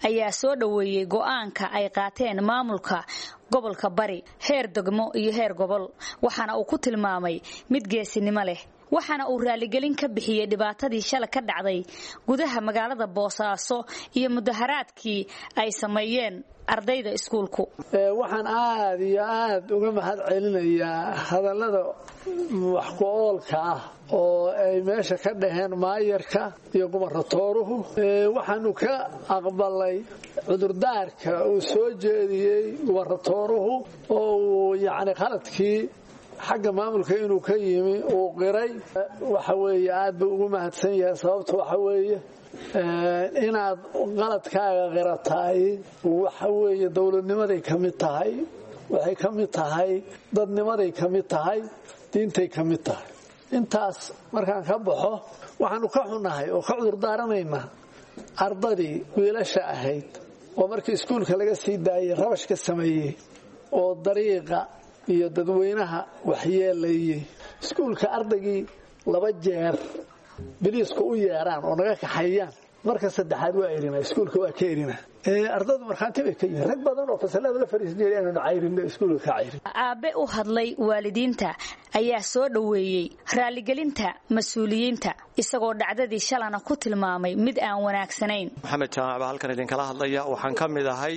M: ayaa soo dhoweeyey go'aanka ay qaateen maamulka gobolka Bari heer degmo iyo heer gobol, waxaana uu ku tilmaamay mid geesinimo leh, waxaana uu raaligelin ka bixiyey dhibaatadii shalay ka dhacday gudaha magaalada Boosaaso iyo mudaharaadkii ay sameeyeen ardayda iskuulku.
O: Waxaan aad iyo aad uga mahad celinayaa hadallada wax ku oolka ah oo ay meesha ka dhaheen maayarka iyo gubarratooruhu. Waxaanu ka aqbalay cudurdaarka uu soo jeediyey gubarratooruhu oo uu yacni khaladkii xagga maamulka inuu ka yimi uu qiray. Waxa weeye aad buu ugu mahadsan yahay. Sababta waxa weeye inaad qaladkaaga qirataay waxa weeye dowladnimaday ka mid tahay, waxay ka mid tahay dadnimaday ka mid tahay, diintay ka mid tahay. Intaas markaan ka baxo, waxaanu ka xunnahay oo ka cudurdaaranaynaa ardadii wiilasha ahayd oo markii iskuulka laga sii daayey rabash ka sameeyey oo dariiqa iyo dadweynaha waxyeelayey. Iskuulka ardaygii laba jeer biliisku u yeeraan oo naga kaxeeyaan, marka saddexaad waa erina, iskuulka waa ka erina. Ardadu markhaanti bay ka yihiin, rag badan oo fasalada la fariisan jiray inaanu cayrinno iskuulka ka cayrin.
M: Aabe u hadlay waalidiinta ayaa soo dhoweeyey raaligelinta mas-uuliyiinta, isagoo dhacdadii shalana ku tilmaamay mid aan wanaagsanayn.
P: Maxamed Jaamac baa halkan idinkala hadlaya. Waxaan ka mid ahay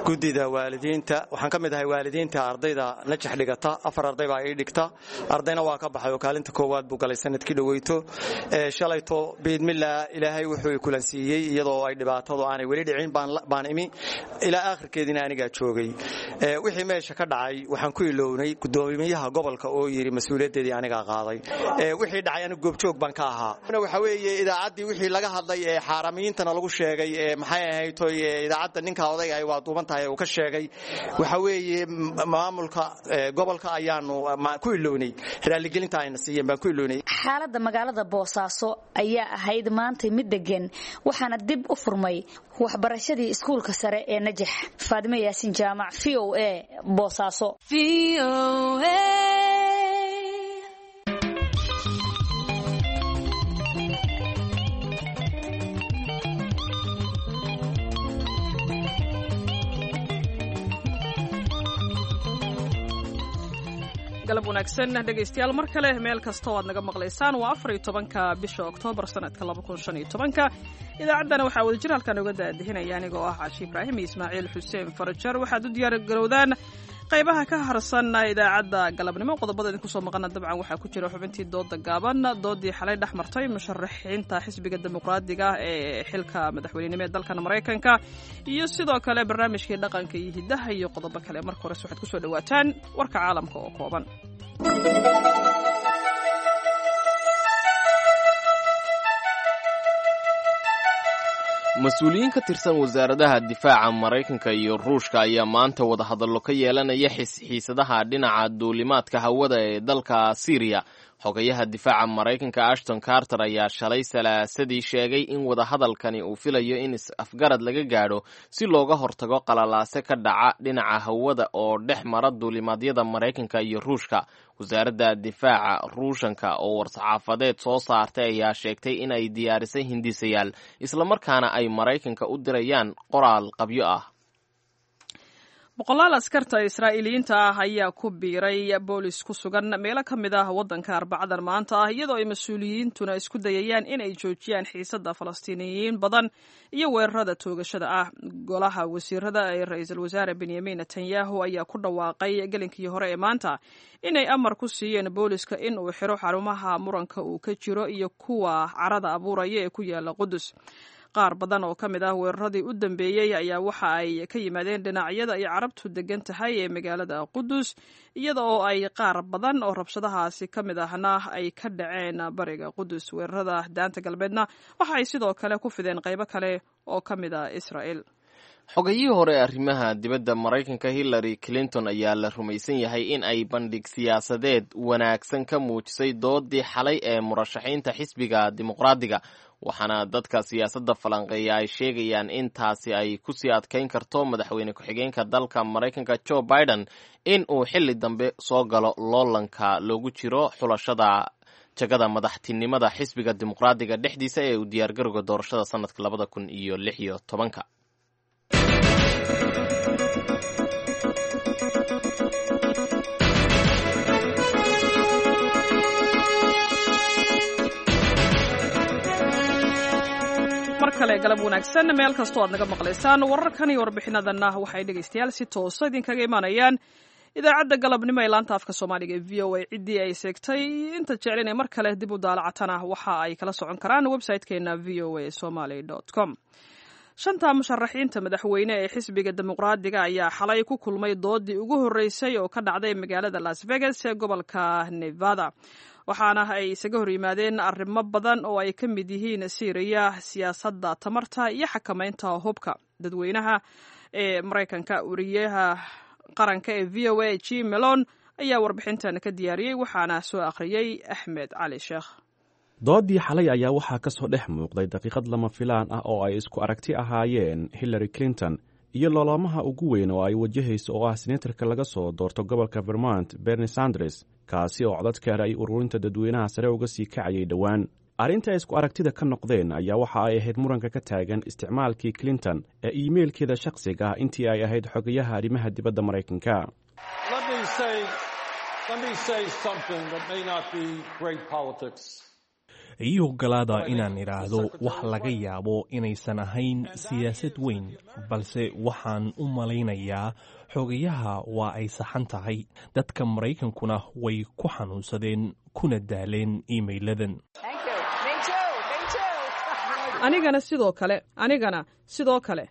P: guddida waalidiinta, waxaan ka mid ahay waalidiinta ardayda Najax dhigata. Afar arday baa ii dhigta, ardayna waa ka baxay oo kaalinta koowaad buu galay sanadkii dhoweyto. Shalayto biidmillah Ilaahay wuxuu kulansiiyey iyadoo ay dhibaatadu aanay weli dhicin baan imi, ilaa aakhirkeediina anigaa joogay. Wixii meesha ka dhacay waxaan ku ilownay gudoomiyaha gobolka oo yidhi mas-uuliyaddeedii anigaa qaaday. Wixii dhacay anigu goobjoog baan ka ahaa. Waxa weeye idaacaddii wixii laga hadlay ee xaaramiyiintana lagu sheegay ee maxay ahayd toy idaacadda ninka odayga ay waa duuban tahay uu ka sheegay, waxa weeye maamulka gobolka ayaanu ku ilownay, raaligelinta ayna siiyeen baan ku ilownay.
M: Xaaladda magaalada Boosaaso ayaa ahayd maantay mid degan, waxaana dib u furmay waxbarashadii iskuulka sare ee Najax. Faadime Yaasin Jaamac, V O A, Boosaaso.
A: Galab wanaagsan dhegaystayaal, mar kale meel kasta oo aad naga maqlaysaan. Waa afar iyo tobanka bisha Oktoobar sanadka laba kun shan iyo tobanka. Idaacaddana waxaa wadajir halkan uga daadihinaya anigoo ah Caashi Ibraahim iyo Ismaaciil Xuseen Farajar. Waxaad u diyaar garowdaan qaybaha ka harsan idaacadda galabnimo. Qodobada idinku soo maqana dabcan waxaa ku jira xubintii dooda gaaban, doodii xalay dhex martay musharaxiinta xisbiga Dimuqraadiga ee xilka madaxweynenimo ee dalkan Maraykanka, iyo sidoo kale barnaamijkii dhaqanka iyo hiddaha iyo qodobo kale. Marka hores waxaad kusoo dhawaataan warka caalamka oo kooban.
B: Mas-uuliyiin ka tirsan wasaaradaha difaaca Maraykanka iyo Ruushka ayaa maanta wadahadallo ka yeelanaya xiisadaha dhinaca duulimaadka hawada ee dalka Siiriya. Xogayaha difaaca Maraykanka Ashton Carter ayaa shalay Salaasadii sheegay in wadahadalkani uu filayo in is-afgarad laga gaadho si looga hortago qalalaase ka dhaca dhinaca hawada oo dhex mara duulimaadyada Maraykanka iyo Ruushka. Wasaaradda difaaca Ruushanka oo war-saxaafadeed soo saartay ayaa sheegtay in ay diyaarisay hindisayaal, islamarkaana ay Maraykanka u dirayaan qoraal qabyo ah.
A: Boqolaal askarta Israa'iiliyiinta ah ayaa ku biiray boolis ku sugan meelo ka mid ah waddanka Arbacadan maanta ah, iyadoo ay mas-uuliyiintuna isku dayayaan in ay joojiyaan xiisadda Falastiiniyiin badan iyo weerarada toogashada ah. Golaha wasiirada ee ra-iisul wasaare Benyamin Netanyahu ayaa ku dhawaaqay gelinkii hore ee maanta inay amar ku siiyeen booliska in uu xiro xarumaha muranka uu ka jiro iyo kuwa carada abuuraya ee ku yaala Qudus. Qaar badan oo ka mid ah weeraradii u dambeeyey ayaa waxa ay ka yimaadeen dhinacyada ay Carabtu degan tahay ee magaalada Qudus, iyada oo ay qaar badan oo rabshadahaasi ka mid ahna ay ka dhaceen bariga Qudus. Weerarada Daanta Galbeedna waxa ay sidoo kale ku fideen qaybo kale oo ka mid ah Israa'el.
B: Xogayihii hore ee arrimaha dibadda Maraykanka Hillary Clinton ayaa la rumaysan yahay in ay bandhig siyaasadeed wanaagsan ka muujisay doodii xalay ee murashaxiinta xisbiga Dimuqraadiga, waxaana dadka siyaasadda falanqeeya ay sheegayaan in taasi ay kusii adkayn karto madaxweyne ku-xigeenka dalka Maraykanka Joe Biden in uu xilli dambe soo galo loolanka loogu jiro xulashada jagada madaxtinimada xisbiga Dimuqraadiga dhexdiisa ee uu diyaargarowga doorashada sanadka labada kun iyo lix iyo tobanka.
A: Mar kale galab wanaagsan meel kastoo aad naga maqlaysaan. Wararkan iyo warbixinadanna waxay dhegaystayaal si toosa idinkaga imaanayaan idaacadda galabnimo ee laanta afka Soomaaliga ee V O A. Ciddii ay seegtay inta jecel inay mar kale dib u daalacatana waxa ay kala socon karaan website-keena V O A Somaly com. Shanta musharaxiinta madaxweyne ee xisbiga Dimuqraadiga ayaa xalay ku kulmay doodii ugu horreysay oo ka dhacday magaalada Las Vegas ee gobolka Nevada, waxaana ay isaga hor yimaadeen arrimo badan oo ay ka mid yihiin Siiriya, siyaasadda tamarta iyo xakameynta hubka dadweynaha ee Maraykanka. Wariyaha qaranka ee V O A Jim Malone ayaa warbixintan ka diyaariyey, waxaana soo akhriyey Axmed Cali Sheekh.
Q: Doodii xalay ayaa waxaa ka soo dhex muuqday daqiiqad lama filaan ah oo ay isku aragti ahaayeen Hillary Clinton iyo loolamaha ugu weyn oo ay wajahayso oo ah senatarka laga soo doorto gobolka Vermont Bernie Sanders, kaasi oo codadka ay ururinta dadweynaha sare uga sii kacayay dhowaan. Arrinta ay isku aragtida ka noqdeen ayaa waxa ay ahayd muranka ka taagan isticmaalkii Clinton ee iimeylkeeda shakhsiga ah intii ay ahayd xogayaha arrimaha dibadda Maraykanka.
R: Ii ogolaada inaan idhaahdo wax laga yaabo inaysan ahayn siyaasad weyn, balse waxaan u malaynayaa xogayaha waa ay saxan tahay. Dadka Maraykankuna way ku xanuunsadeen kuna daaleen iimeyladan.
A: Anigana sidoo kale, anigana sidoo kale.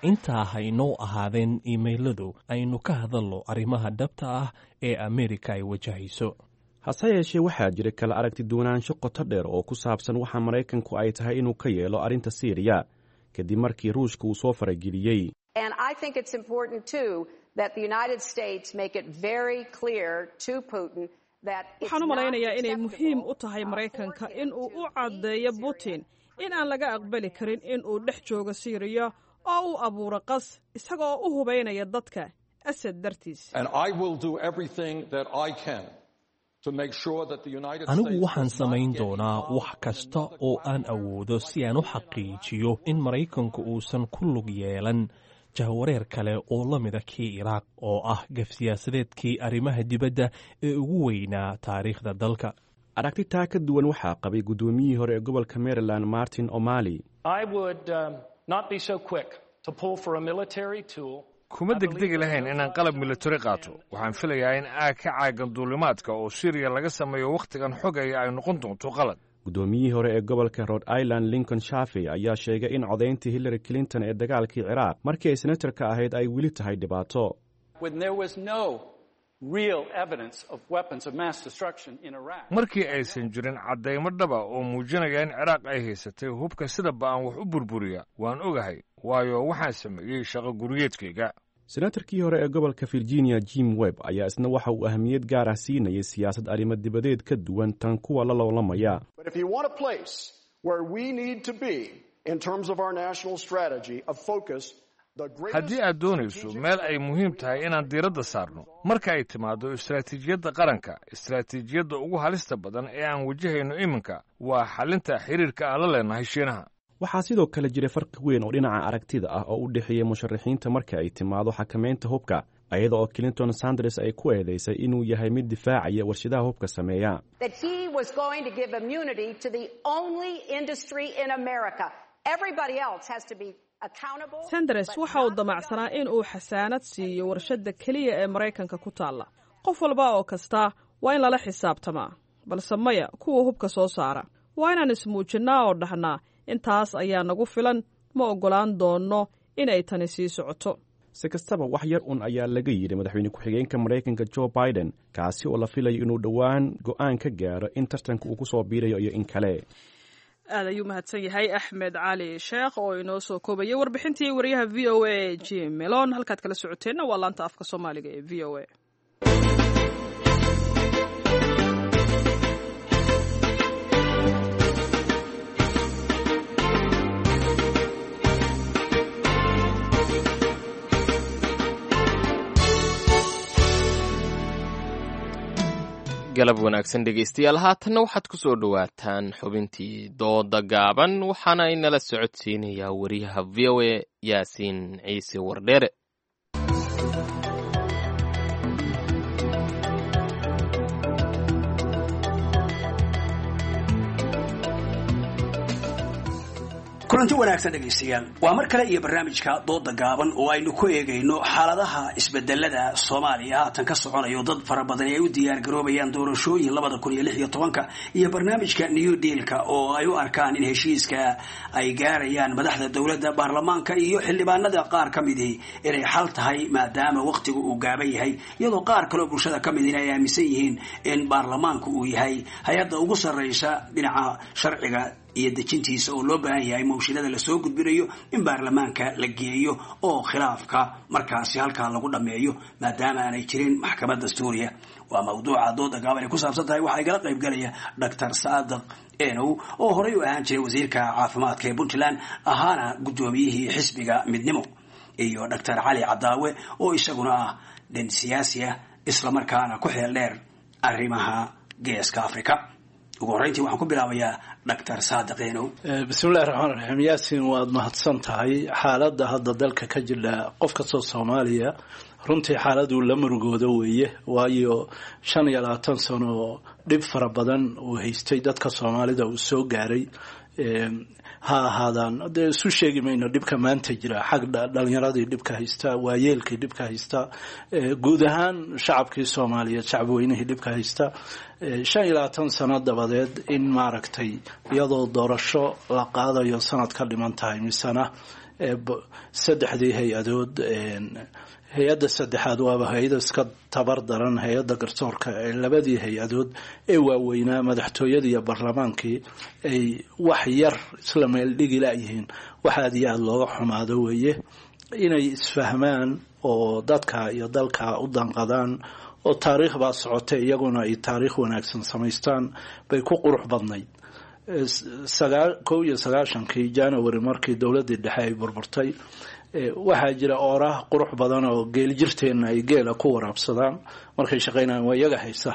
R: Intaa haynoo ahaadeen iimayladu, aynu ka hadalno arrimaha dhabta ah ee Ameerika ay wajahayso.
Q: Hase yeeshee, waxaa jira kala aragti duwanaansho qoto dheer oo ku saabsan waxa Maraykanku ay tahay inuu ka yeelo arrinta Siiriya kadib markii Ruushka uu soo farageliyey.
A: Waxaan u malaynayaa inay muhiim u tahay Maraykanka in uu u caddeeyo Putin in aan laga aqbali karin in uu dhex joogo Siiriya oo uu abuuro qas isagaoo u hubaynaya dadka Asad dartiis.
R: Anigu waxaan samayn doonaa wax kasta oo aan awoodo si aan u xaqiijiyo in Maraykanku uusan ku lug yeelan jahwareer kale oo la mida kii Iraaq, oo ah gaf siyaasadeedkii arrimaha dibadda ee ugu weynaa taariikhda dalka.
Q: Aragti taa ka duwan waxaa qabay guddoomiyihii hore ee gobolka Maryland, Martin O'Malley.
S: Kuma degdegi lahayn inaan qalab militari qaato. Waxaan filayaa in aag ka caagan duulimaadka oo Siriya laga sameeyo wakhtigan xogaya ay noqon doonto qalad.
Q: Guddoomiyihii hore ee gobolka Rhode Island, Lincoln Chafee, ayaa sheegay in codayntii Hillary Clinton ee dagaalkii Ciraaq markii ay senatarka ahayd ay weli tahay dhibaato.
S: Markii aysan jirin caddaymo dhaba oo muujinaya in Ciraaq ay haysatay hubka sida ba'an wax u burburiya, waan ogahay, waayo waxaan sameeyey shaqo guriyeedkayga.
Q: Senatarkii hore ee gobolka Virginia, Jim Webb, ayaa isna waxa uu ahamiyad gaar ah siinayay siyaasad arrimo dibadeed ka duwan tan kuwa la loolamaya.
S: Haddii aad doonayso meel ay muhiim tahay inaan diiradda saarno marka ay timaaddo istaraatiijiyadda qaranka, istaraatiijiyadda ugu halista badan ee aan wajahayno iminka waa xalinta xiriirka aan la leenahay Shiinaha.
Q: Waxaa sidoo kale jira farqi weyn oo dhinaca aragtida ah oo u dhexeeya musharaxiinta marka ay timaado xakamaynta hubka, ayada oo Clinton Sanders ay ku eedeysay inuu yahay mid difaacaya warshadaha hubka sameeya.
A: Sanders waxa uu damacsanaa in uu xasaanad siiyo warshadda keliya ee Maraykanka ku taalla. Qof walba oo kasta waa in lala xisaabtamaa, balse maya kuwa hubka soo saara. Waa inaan ismuujinnaa oo dhahnaa intaas ayaa nagu filan, ma oggolaan doonno in ay tani sii socoto.
Q: Si kastaba, wax yar un ayaa laga yidhi madaxweyne ku-xigeenka Maraykanka Joe Biden, kaasi oo la filayo inuu dhowaan go'aan ka gaaro in tartanka uu ku soo biirayo iyo in kale.
A: Aad ayuu mahadsan yahay Axmed Cali Sheekh oo inoo soo koobayay warbixintii wariyaha V O A Jim Melon. Halkaad kala socoteenna waa laanta afka Soomaaliga ee V O A.
B: Galab wanaagsan dhegeystayaal, haatanna waxaad ku soo dhowaataan xubintii dooda gaaban, waxaana inala socodsiinayaa wariyaha V O A, Yaasiin Ciise Wardheere.
T: Kulanti wanaagsan dhegaystayaal, waa mar kale iyo barnaamijka dooda gaaban oo aynu ku eegayno xaaladaha isbedelada Soomaaliya haatan ka soconayo, dad fara badan ay u diyaar garoobayaan doorashooyin labada kun iyo lix iyo tobanka iyo barnaamijka New Dealka oo ay u arkaan in heshiiska ay gaarayaan madaxda dowladda, baarlamaanka iyo xildhibaanada qaar ka midii inay xal tahay maadaama waqtigu uu gaaban yahay, iyadoo qaar kaleo bulshada ka midina ay aaminsan yihiin in baarlamaanku uu yahay hay-adda ugu sarreysa dhinaca sharciga iyo dejintiisa oo loo baahan yahay mawshinada lasoo gudbinayo in baarlamaanka la geeyo oo khilaafka markaasi halkaa lagu dhammeeyo maadaama aanay jirin maxkamadda dastuuriya. Waa mawduuca dooda gaaban ay ku saabsan tahay. Waxaa igala qayb galaya Doctor Saadiq Enow oo horey u ahaan jiray wasiirka caafimaadka ee Puntland, ahaana guddoomiyihii xisbiga Midnimo, iyo Doctor Cali Cadaawe oo isaguna ah nin siyaasi ah islamarkaana ku xeel dheer arrimaha Geeska Afrika. Ugu horreyntii waxaan ku bilaabayaa Doctor Saadiq Enow.
O: Bismillahi raxmaan raxiim. Yaasin, waad mahadsan tahay. Xaaladda hadda dalka ka jira, qof kastoo Soomaaliya runtii xaaladuu la murugooda weeye, waayo shan iyo labaatan sano dhib fara badan uu haystay dadka Soomaalida uu soo gaaray. Ha ahaadaan dee isu sheegi mayno dhibka maanta jira, xag dhalinyaradii dhibka haysta, waayeelkii dhibka haysta, guud ahaan shacabkii Soomaaliyeed, shacabweynihii dhibka haysta. Shan iyo labaatan sano dabadeed in maaragtay iyadoo doorasho la qaadayo sanad ka dhiman tahay, misena saddexdii hay-adood, hay-adda saddexaad waaba hay-ada iska tabar daran, hay-adda garsoorka, ee labadii hay-adood ee waaweynaa, madaxtooyadii iyo baarlamaankii, ay wax yar isla meeldhigi layihiin, wax aad iyo aada looga xumaado weeye. Inay isfahmaan oo dadka iyo dalka u danqadaan oo taariikh baa socotay, iyaguna ay taariikh wanaagsan samaystaan bay ku qurux badnayd. Kow iyo sagaashankii January markii dowladdii dhexe ay burburtay, waxaa jira ooraah qurux badan oo geeljirteenna ay geela ku waraabsadaan markay shaqaynayaan, waa iyaga haysa.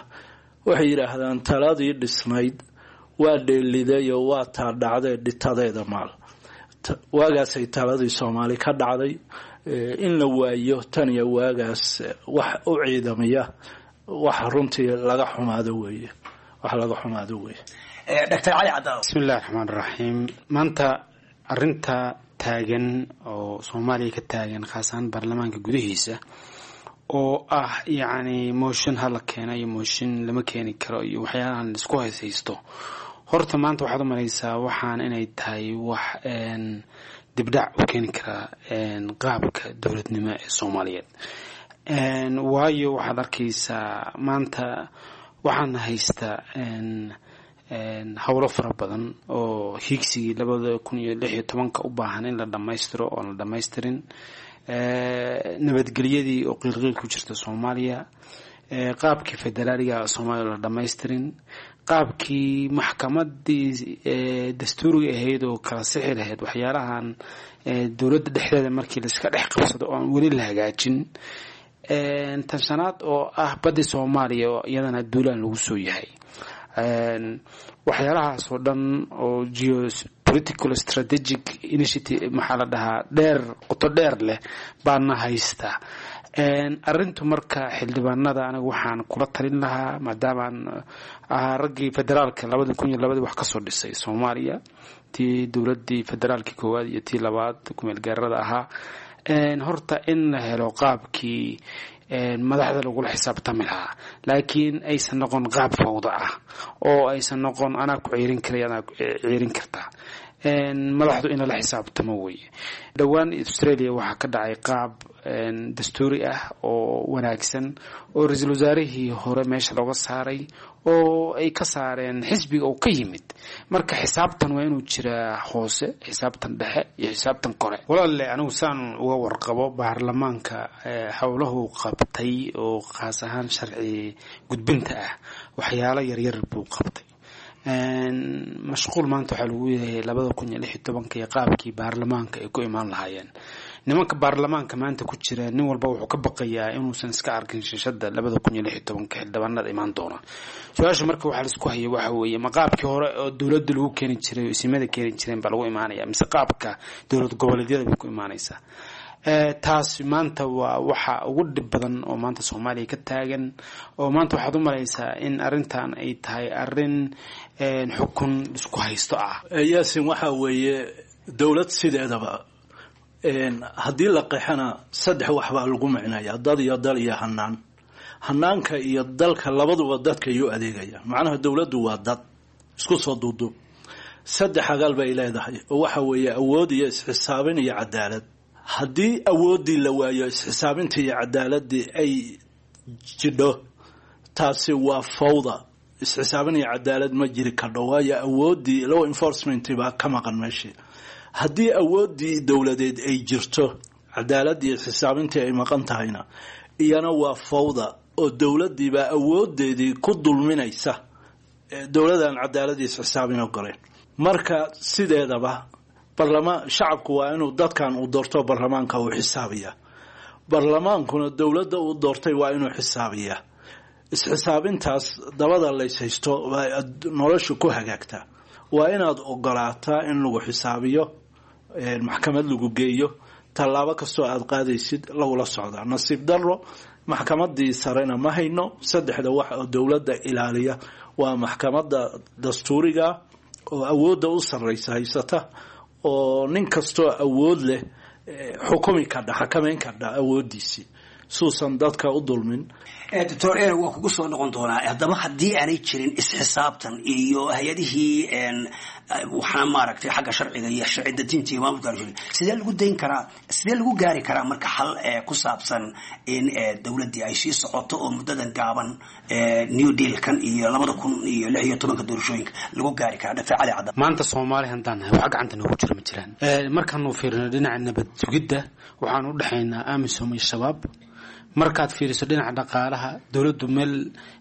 O: Waxay yidhaahdaan taladii dhisnayd waa dheeliday oo waa taa dhacdee dhitadeeda maal. Waagaasay taladii Soomaali ka dhacday. In la waayo tan iyo waagaas wax u ciidamiya, wax runtii laga xumaado weeye, wax laga xumaado weeye.
T: Doctor Cali Cadaaw.
U: Bismillahi raxmaan raxiim. Maanta arinta taagan oo Soomaaliya ka taagan, khaas ahaan baarlamaanka gudihiisa, oo ah yacni motion hala keena iyo motion lama keeni karo iyo waxyaalahan laisku hayshaysto, horta maanta waxaad u malaysaa waxaan inay tahay wax dibdhac u keeni karaa qaabka dowladnimo ee Soomaaliyeed. Waayo, waxaad arkaysaa maanta waxaan haystaa howlo fara badan oo hiigsigii labada kun iyo lix iyo tobanka u baahan in la dhammaystiro oon la dhammaystirin, nabadgelyadii oo qiilqiil ku jirta Soomaaliya, qaabkii federaaliga Soomaaliya la dhammaystirin, qaabkii maxkamadii dastuuriga ahayd oo kala sixi lahayd waxyaalahan dowladda dhexdeeda markii laiska dhex qabsado oo aan weli la hagaajin, tan shanaad oo ah baddi Soomaaliya oo iyadana duulaan lagu soo yahay. Waxyaalahaas oo dhan oo geopolitical strategic initiative maxaa la dhahaa, dheer, qoto dheer leh baana haysta arrintu. Marka xildhibaanada aniga waxaan kula talin lahaa, maadaamaan ahaa raggii federaalka labada kun iyo labadii wax kasoo dhisay Soomaaliya, tii dowladii federaalkii koowaad iyo tii labaad kumeel gaarada ahaa, horta in la helo qaabkii madaxda lagula xisaabtami lahaa, laakiin aysan noqon qaab fawda ah oo aysan noqon anaa ku ciirin karay, anaa ciirin kartaa. Madaxdu in lala xisaabtamo weye. Dhowaan Australia waxaa ka dhacay qaab dastuuri ah oo wanaagsan oo ra-iisul wasaarihii hore meesha looga saaray oo ay ka saareen xisbiga oo ka yimid. Marka xisaabtan waa inuu jiraa hoose, xisaabtan dhexe iyo xisaabtan kore. Walaalle, anigu saan uga warqabo baarlamaanka howlahu qabtay oo khaas ahaan sharci gudbinta ah, waxyaalo yaryar buu qabtay. Mashquul maanta waxaa lagu yahay labada kun iyo lix iyo tobanka iyo qaabkii baarlamaanka ay ku imaan lahaayeen. Nimanka baarlamaanka maanta ku jira, nin walba wuxuu ka baqayaa inuusan iska arkin shishada labada kun iyo lix iyo tobanka xildhibaanada imaan doona. Su-aasha marka waxaa laisku hayay waxa weeye, ma qaabkii hore oo dowladda lagu keeni jiray oo isimada keeni jireen baa lagu imaanaya, mise qaabka dowlad goboleedyada bay ku imaanaysaa? Taas maanta waa waxa ugu dhib badan oo maanta Soomaaliya ka taagan, oo maanta waxaad u malaysaa in arrintan ay tahay arrin xukun isku haysto ah.
O: Yaasin, waxaa weeye dowlad sideedaba haddii la qeexana saddex wax baa lagu micnaya: dad iyo dal iyo hanaan. Hanaanka iyo dalka labaduba dadka iyuu adeegaya. Macnaha dowladdu waa dad isku soo duuduub. Saddex agaal bay leedahay oo waxa weeye awood iyo isxisaabin iyo cadaalad. Haddii awooddii la waayo, isxisaabintii iyo cadaaladii ay jidho, taasi waa fawda. Isxisaabin iyo cadaalad ma jiri kardho, waayo awooddii law enforcement baa ka maqan meeshii. Haddii awooddii dowladeed ay jirto, cadaaladii iyo isxisaabintii ay maqan tahayna, iyana waa fawda oo dowladdiibaa awoodeedii ku dulminaysa dowladaan cadaaladii isxisaabin ogoleen. Marka sideedaba barlamaan shacabku waa inuu dadkan uu doorto barlamaanka uu xisaabiyaa, barlamaankuna dowladda uu doortay waa inuu xisaabiyaa. Isxisaabintaas dabada lays haysto noloshu ku hagaagtaa. Waa inaad ogolaataa in lagu xisaabiyo, maxkamad lagu geeyo, tallaabo kastoo aada qaadaysid lagula socdaa. Nasiib darro, maxkamadii sarena ma hayno. Saddexda wax oo dowladda ilaaliya waa maxkamadda dastuuriga oo awoodda u sarreysa haysata, oo nin kastoo awood leh xukumi kardha, xakameyn kardha awooddiisii suusan dadka u dulmin.
T: Doctor Ere, waa kugu soo noqon doonaa. Haddaba haddii aanay jirin isxisaabtan iyo hay-adihii waxaa maaragtay xagga sharciga iyo sharci dejinta iyo maamulka aanu jirin, sidee lagu dayn karaa, sidee lagu gaari karaa marka xal ku saabsan in dowladdii ay sii socoto oo muddadan gaaban New Dealkan iyo labada kun iyo lix iyo tobanka doorashooyinka lagu gaari karaa? Doctor Cali Cadda.
U: Maanta Soomaali haddaan nahay, waxa gacanta noogu jira ma jiraan. Markaanu fiirino dhinaca nabad sugidda, waxaan u dhexaynaa AMISOM iyo Shabaab. Markaad fiiriso dhinaca dhaqaalaha, dowladdu meel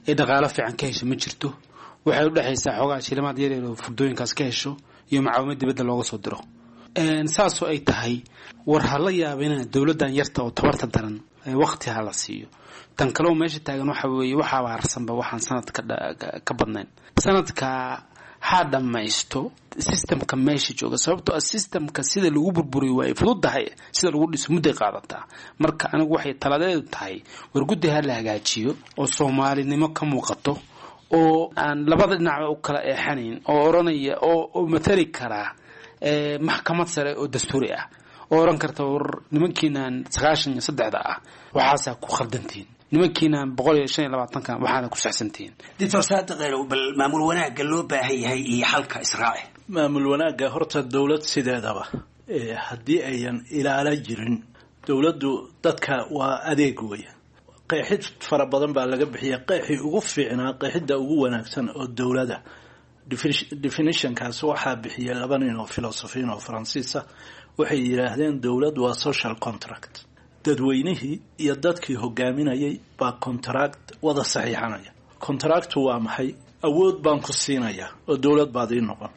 U: ay dhaqaalo fiican ka hesho ma jirto. Waxay u dhexaysaa xoogaa shilimaad yaryar oo furdooyinkaas ka hesho iyo macaawimo dibadda looga soo diro. Saasoo ay tahay, war ha la yaabina dowladdan yarta oo tabarta daran waqti ha la siiyo. Tan kaleo meesha taagan waxa weeye, waxaaba harsanba waxaan sanadka ka badnayn sanadka. Ha dhammaysto systemka meesha jooga, sababtoo ah systemka sida lagu burburiyo waa ay fududahay, sida lagu dhiso mudday qaadataa. Marka anigu waxay taladeedu tahay, war guddi ha la hagaajiyo oo soomaalinimo ka muuqato, oo aan labada dhinacba u kala eexanayn, oo oranaya oo matali karaa maxkamad sare oo dastuuri ah, oo oran karta war nimankiinaan sagaashan iyo saddexda ah waxaasaa ku khaldantihiin, nimankiinaan boqol iyo shan iyo labaatankan waxaana ku saxsantihiin.
T: Doctor Saadiq Elow, bal maamul wanaagga loo baahan yahay iyo xalka israaci.
F: Maamul wanaagga horta dowlad sideedaba haddii ayan ilaala jirin, dowladdu dadka waa adeeg weya. Qeexid fara badan baa laga bixiya. Qeexii ugu fiicnaa, qeexidda ugu wanaagsan oo dowlada definitionkaas waxaa bixiyay laba nin oo filosofiin oo faransiisa. Waxay yidhaahdeen dowlad waa social contract, dadweynihii iyo dadkii hogaaminayay baa contract wada saxiixanaya. Contractu waa maxay? Awood baan ku siinayaa oo dowlad baad ii noqon,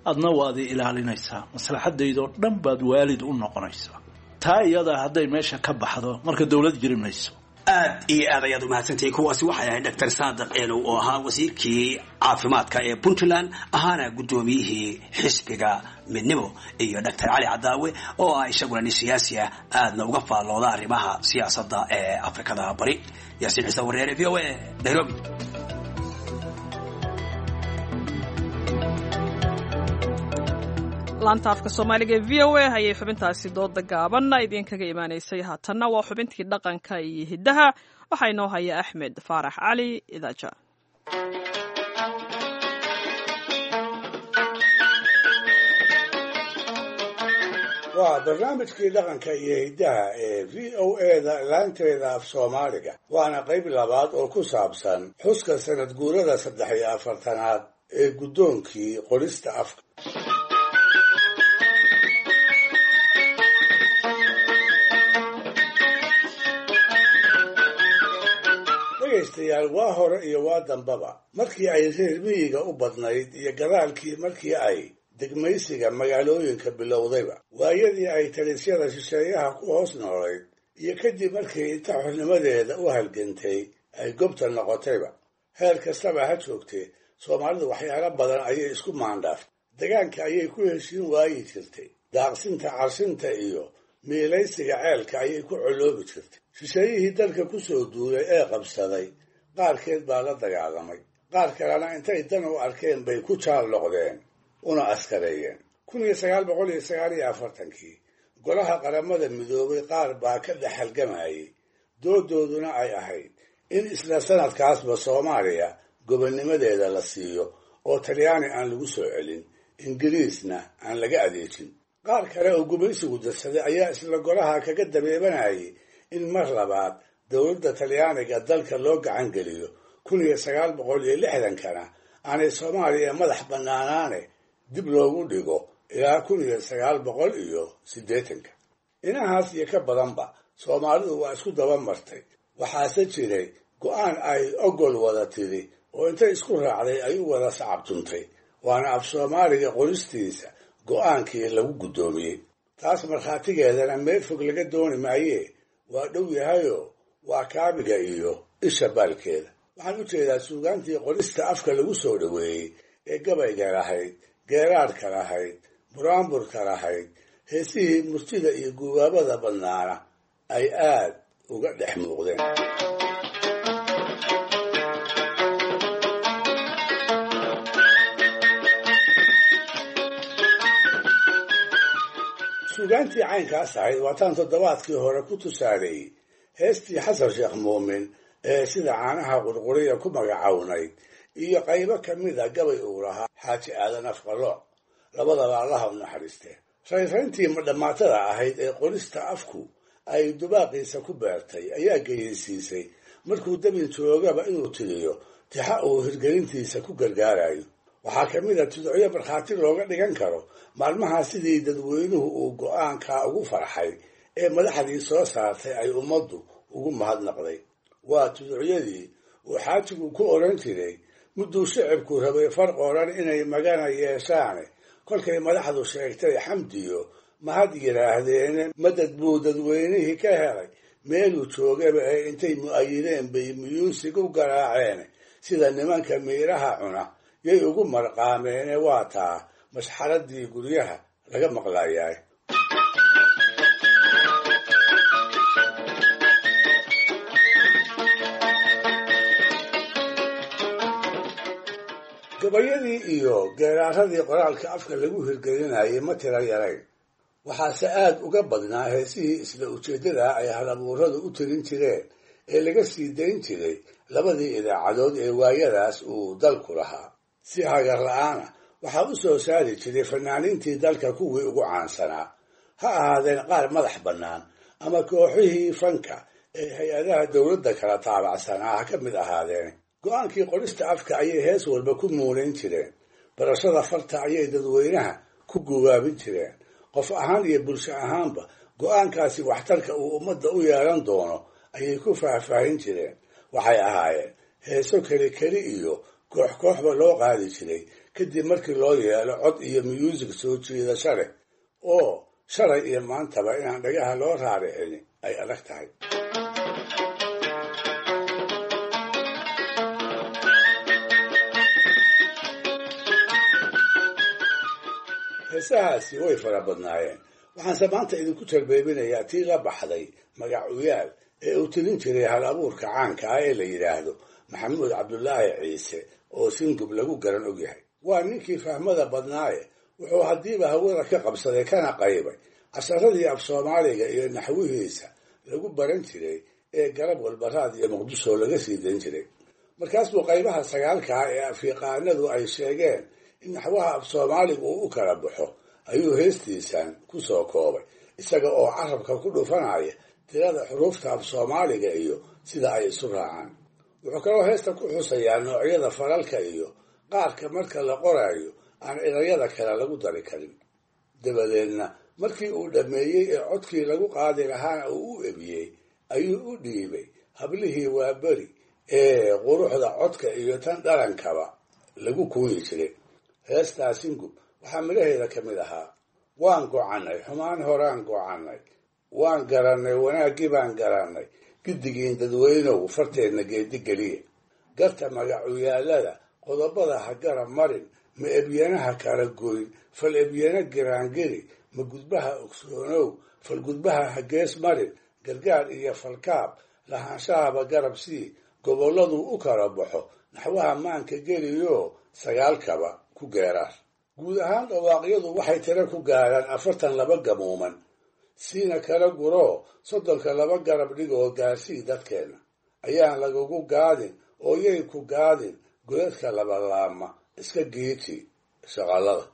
F: adna waad ii ilaalinaysaa, maslaxadaydoo dhan baad waalid u noqonaysaa. Taa iyadaa hadday meesha ka baxdo, marka dowlad jiri mayso.
T: Aad iyo aad ayaad umahadsantahay. Kuwaasi waxay ahayd Doctor Saadiq Elow oo ahaa wasiirkii caafimaadka ee Puntland, ahaana guddoomiyihii xisbiga Midnimo, iyo Doctor Cali Cadaawe oo ah isaguna nin siyaasi ah, aadna uga faallooda arrimaha siyaasadda ee Afrikada Bari. Yaasiin Ciise Wareere, V O A, Nairobi.
A: Laanta afka Soomaaliga ee V O A ayay xubintaasi dooda gaaban idinkaga imaanaysay. Haatanna waa xubintii dhaqanka iyo hiddaha, waxaa inoo haya Axmed Faarax Cali Idaaja.
V: Waa barnaamijkii dhaqanka iyo hiddaha ee V O A-da laanteeda af Soomaaliga, waana qayb labaad oo ku saabsan xuska sanad guurada saddex iyo afartanaad ee guddoonkii qorista afka. Dhegaystayaal, waa hore iyo waa dambaba markii ay reer miyiga u badnayd iyo gadaalkii markii ay degmaysiga magaalooyinka bilowdayba, waayadii ay talisyada shisheeyaha ku hoos noolayd iyo kadib markii inta xornimadeeda u halgantay ay gobta noqotayba, heer kastaba ha joogtee, Soomaalidu waxyaalo badan ayay isku maandhaaftay. Degaanka ayay ku heshiin waayi jirtay, daaqsinta, carshinta iyo miilaysiga ceelka ayay ku coloobi jirtay. Shisheeyihii dalka ku soo duulay ee qabsaday qaarkeed baa la dagaalamay, qaar kalena intay dan u arkeen bay ku jaal noqdeen una askareeyeen. Kun iyo sagaal boqol iyo sagaal iyo afartankii golaha Qaramada Midoobay qaar baa ka dhex halgamayay, doodooduna ay ahayd in isla sanadkaasba Soomaaliya gobonnimadeeda la siiyo oo Talyaani aan lagu soo celin, Ingiriisna aan laga adeejin. Qaar kale oo gumaysigu darsaday ayaa isla golaha kaga dabeebanayay in mar labaad dowladda Talyaaniga dalka loo gacan geliyo, kun iyo sagaal boqol iyo lixdankana aanay Soomaaliya madax bannaanaane dib loogu dhigo ilaa kun iyo sagaal boqol iyo siddeetanka. Inahaas iyo ka badanba Soomaalidu waa isku daba martay. Waxaase jiray go'aan ay ogol wada tiri oo intay isku raacday ay u wada sacabtuntay, waana af Soomaaliga qoristiisa go'aankii lagu guddoomiyey. Taas markhaatigeedana meel fog laga dooni maayee, waa dhow yahayoo waa kaabiga iyo isha baalkeeda. Waxaan u jeedaa suugaantii qorista afka lagu soo dhoweeyey ee gabayga lahayd, geeraadhka lahayd, buraanburka lahayd, heesihii murtida iyo gubaabada badnaana ay aad uga dhex muuqdeen. Suugaantii caynkaas ahayd waataan toddobaadkii hore ku tusaaleeyey heestii Xasan Sheekh Muumin ee sida caanaha qurquriya ku magacawnayd iyo qaybo ka mida gabay uu lahaa Xaaji Aadan Afqalooc, labadaba Allaha u naxariistee. Raynrayntii madhammaatada ahayd ee qorista afku ay dubaaqiisa ku beertay ayaa geyeysiisay markuu dabin joogaba inuu tiriyo tixa uu hirgelintiisa ku gargaarayo. Waxaa ka mid a tudcyo markhaati looga dhigan karo maalmahaa sidii dadweynuhu uu go'aankaa ugu farxay ee madaxdii soo saartay ay ummaddu ugu mahadnaqday. Waa tuducyadii uu xaajigu ku odhan jiray mudduu shicibku rabay far qoran inay magana yeeshaane, kolkay madaxdu sheegtay xamdiyo mahad yidhaahdeene, madad buu dadweynihii ka helay meeluu joogaba ee intay mu'ayideen bay muyuusig u garaaceene, sida nimanka miiraha cuna Yay ugu marqaameene waa taa mashxaradii guryaha laga maqlayaay. Gabayadii iyo geeraaradii qoraalka afka lagu hirgelinayay ma tira yarayn, waxaase aad uga badnaa heesihii isla ujeeddadaa ay halabuuradu u tirin jireen ee laga sii dayn jiray labadii idaacadood ee waayadaas uu dalku lahaa. Si hagar la'aana waxaa u soo saari jiray fanaaniintii dalka kuwii ugu caansanaa, ha ahaadeen qaar madax bannaan ama kooxihii fanka ee hay-adaha dowladda kala taabacsanaa ha ka mid ahaadeen. Go'aankii qorista afka ayay hees walba ku muunayn jireen, barashada farta ayay dadweynaha ku gubaabin jireen. Qof ahaan iyo bulsho ahaanba go'aankaasi waxtarka uu ummadda u yeelan doono ayay ku faahfaahin jireen. Waxay ahaayeen heeso keli keli iyo koox kooxba loo qaadi jiray kadib markii loo yeelo cod iyo myuusig soo jiidasho leh oo shalay iyo maantaba inaan dhagaha loo raaricin ay adag tahay. Heesahaasi way fara badnaayeen, waxaanse maanta idinku tarbeebinayaa tii la baxday magacuyaal ee uu tirin jiray hal abuurka caanka ah ee la yidhaahdo Maxamuud Cabdulaahi Ciise oo Singub lagu garan ogyahay. Waa ninkii fahmada badnaaye, wuxuu haddiiba hawada ka qabsaday kana qaybay casharadii af Soomaaliga iyo naxwihiisa lagu baran jiray ee garab walba raad iyo Muqdisho laga sii dayn jiray. Markaas buu qaybaha sagaalka ah ee afyaqaanadu ay sheegeen in naxwaha af Soomaaligu uu u kala baxo ayuu heestiisan ku soo koobay, isaga oo carabka ku dhufanaya tirada xuruufta af Soomaaliga iyo sida ay isu raacaan. Wuxuu kaloo heesta ku xusayaa noocyada falalka iyo qaarka marka la qoraayo aan erayada kale lagu dari karin. Dabadeedna markii uu dhammeeyey ee codkii lagu qaadi lahaana uu u ebiyey ayuu u dhiibay hablihii waaberi ee quruxda codka iyo tan dhalankaba lagu kuuyi jiray. Heestaa Singub waxaa midhaheeda ka mid ahaa: waan gocannay xumaan horaan gocannay, waan garannay wanaaggii baan garannay, giddigiin dadweynow farteenna geedi geliya, garta magacuyaallada qodobada ha garab marin, ma ebyanaha kala goyn, fal ebyana giraangeli, ma gudbaha ogsoonow, fal gudbaha ha gees marin, gargaar iyo falkaab lahaanshahaba garab sii, gobolladuu u kala baxo naxwaha maanka geliyo sagaalkaba ku geeraar. Guud ahaan dhawaaqyadu waxay tiro ku gaaraan afartan laba gamuuman, siina kala guroo soddonka laba garab dhigoo gaarsii dadkeenna. Ayaan lagugu gaadin oo yay ku gaadin godadka labalaama iska geeji shaqalada.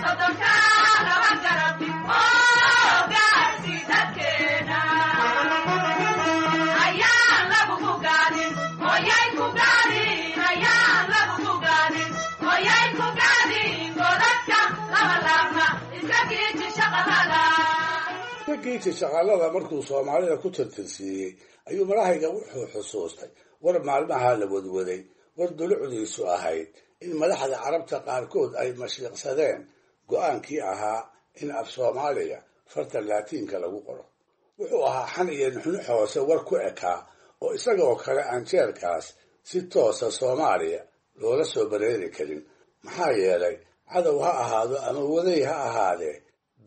C: Soddonka laba garab, oo gaarsi dadkeena.
V: Geyti shaqaalada markuu Soomaalida ku tirtirsiiyey ayuu marahayga wuxuu xusuustay war maalmaha la wadwaday, war dulucdiisu ahayd in madaxda Carabta qaarkood ay mashiiqsadeen go'aankii ahaa in af Soomaaliga farta Laatiinka lagu qoro. Wuxuu ahaa xan iyo nuxnux hoose war ku ekaa oo isagoo kale aan jeerkaas si toosa Soomaaliya loola soo bareeri karin, maxaa yeelay cadow ha ahaado ama waday ha ahaadee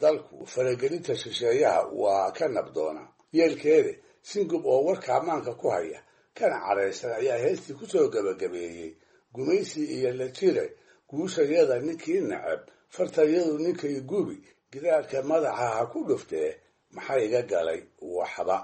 V: dalku faragelinta shisheeyaha waa ka nabdoona. Yeelkeede Singub oo warka ammaanka ku haya kana cadhaysan ayaa heestii ku soo gebagabeeyey gumaysi iyo la jire guushayada ninkii nacab, fartayadu ninkay gubi, gidaarka madaxa ha ku dhuftee maxaa iga galay waxba.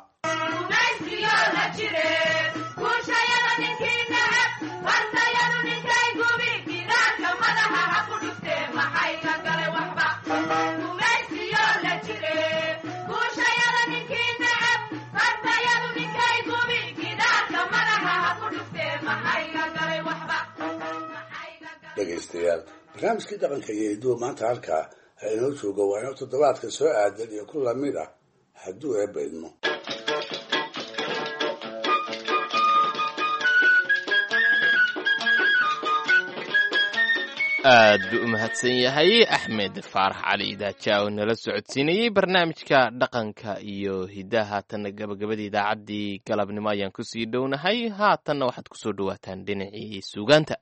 V: Dhegaystayaal, barnaamijkii dhaqanka iyo hiduwa maanta halkaa ha inoo joogo. Waa inoo toddobaadka soo aadan iyo ku lamid ah hadduu Eebba idmo.
B: Aad buu u mahadsan yahay Axmed Faarax Cali Idaaja oo nala socodsiinayey barnaamijka dhaqanka iyo hidaha. Haatanna gabagabadii idaacaddii galabnimo ayaan kusii dhownahay. Haatanna waxaad kusoo dhowaataan dhinacii suugaanta.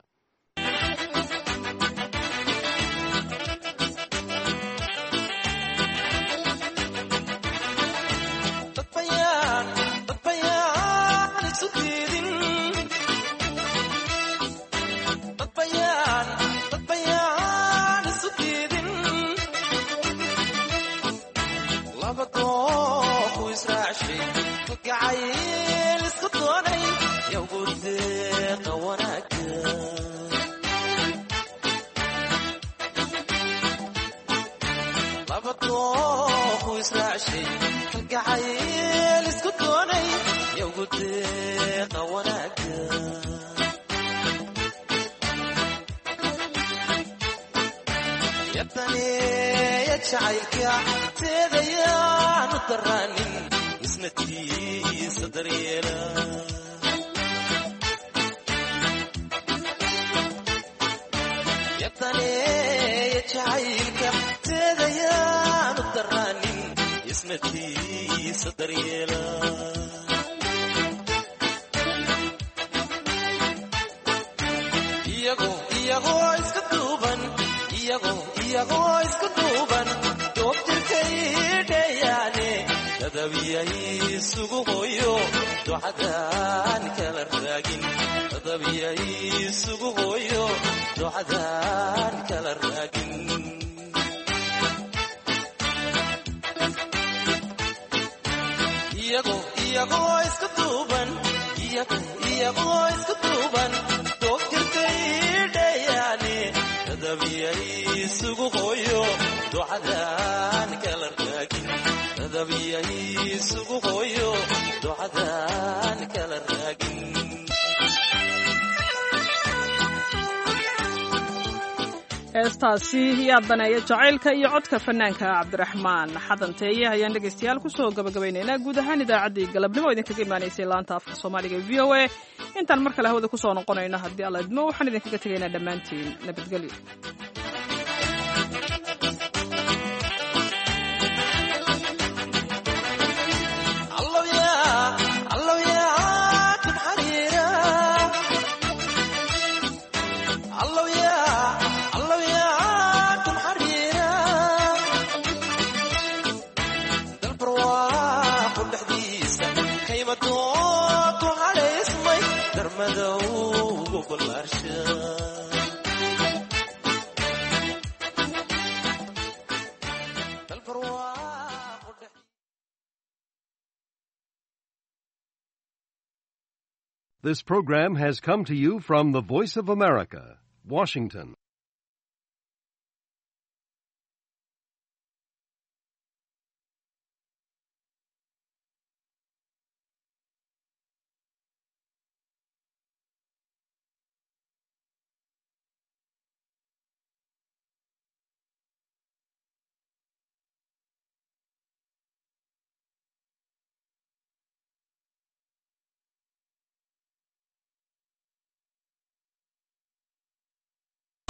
A: Heestaasi yaa daneeya jacaylka iyo codka fanaanka Cabdiraxmaan Xadanteeye ayaan dhegaystayaal kusoo gabagabaynaynaa guud ahaan idaacaddii galabnimo idinkaga imaanaysay laanta afka Soomaaliga ee V O A. Intaan mar kale hawada kusoo noqonayno haddii Alla idmo, waxaan idinkaga tegaynaa dhammaantiin nabadgelyo.
C: This program has come to you from the Voice of America, Washington.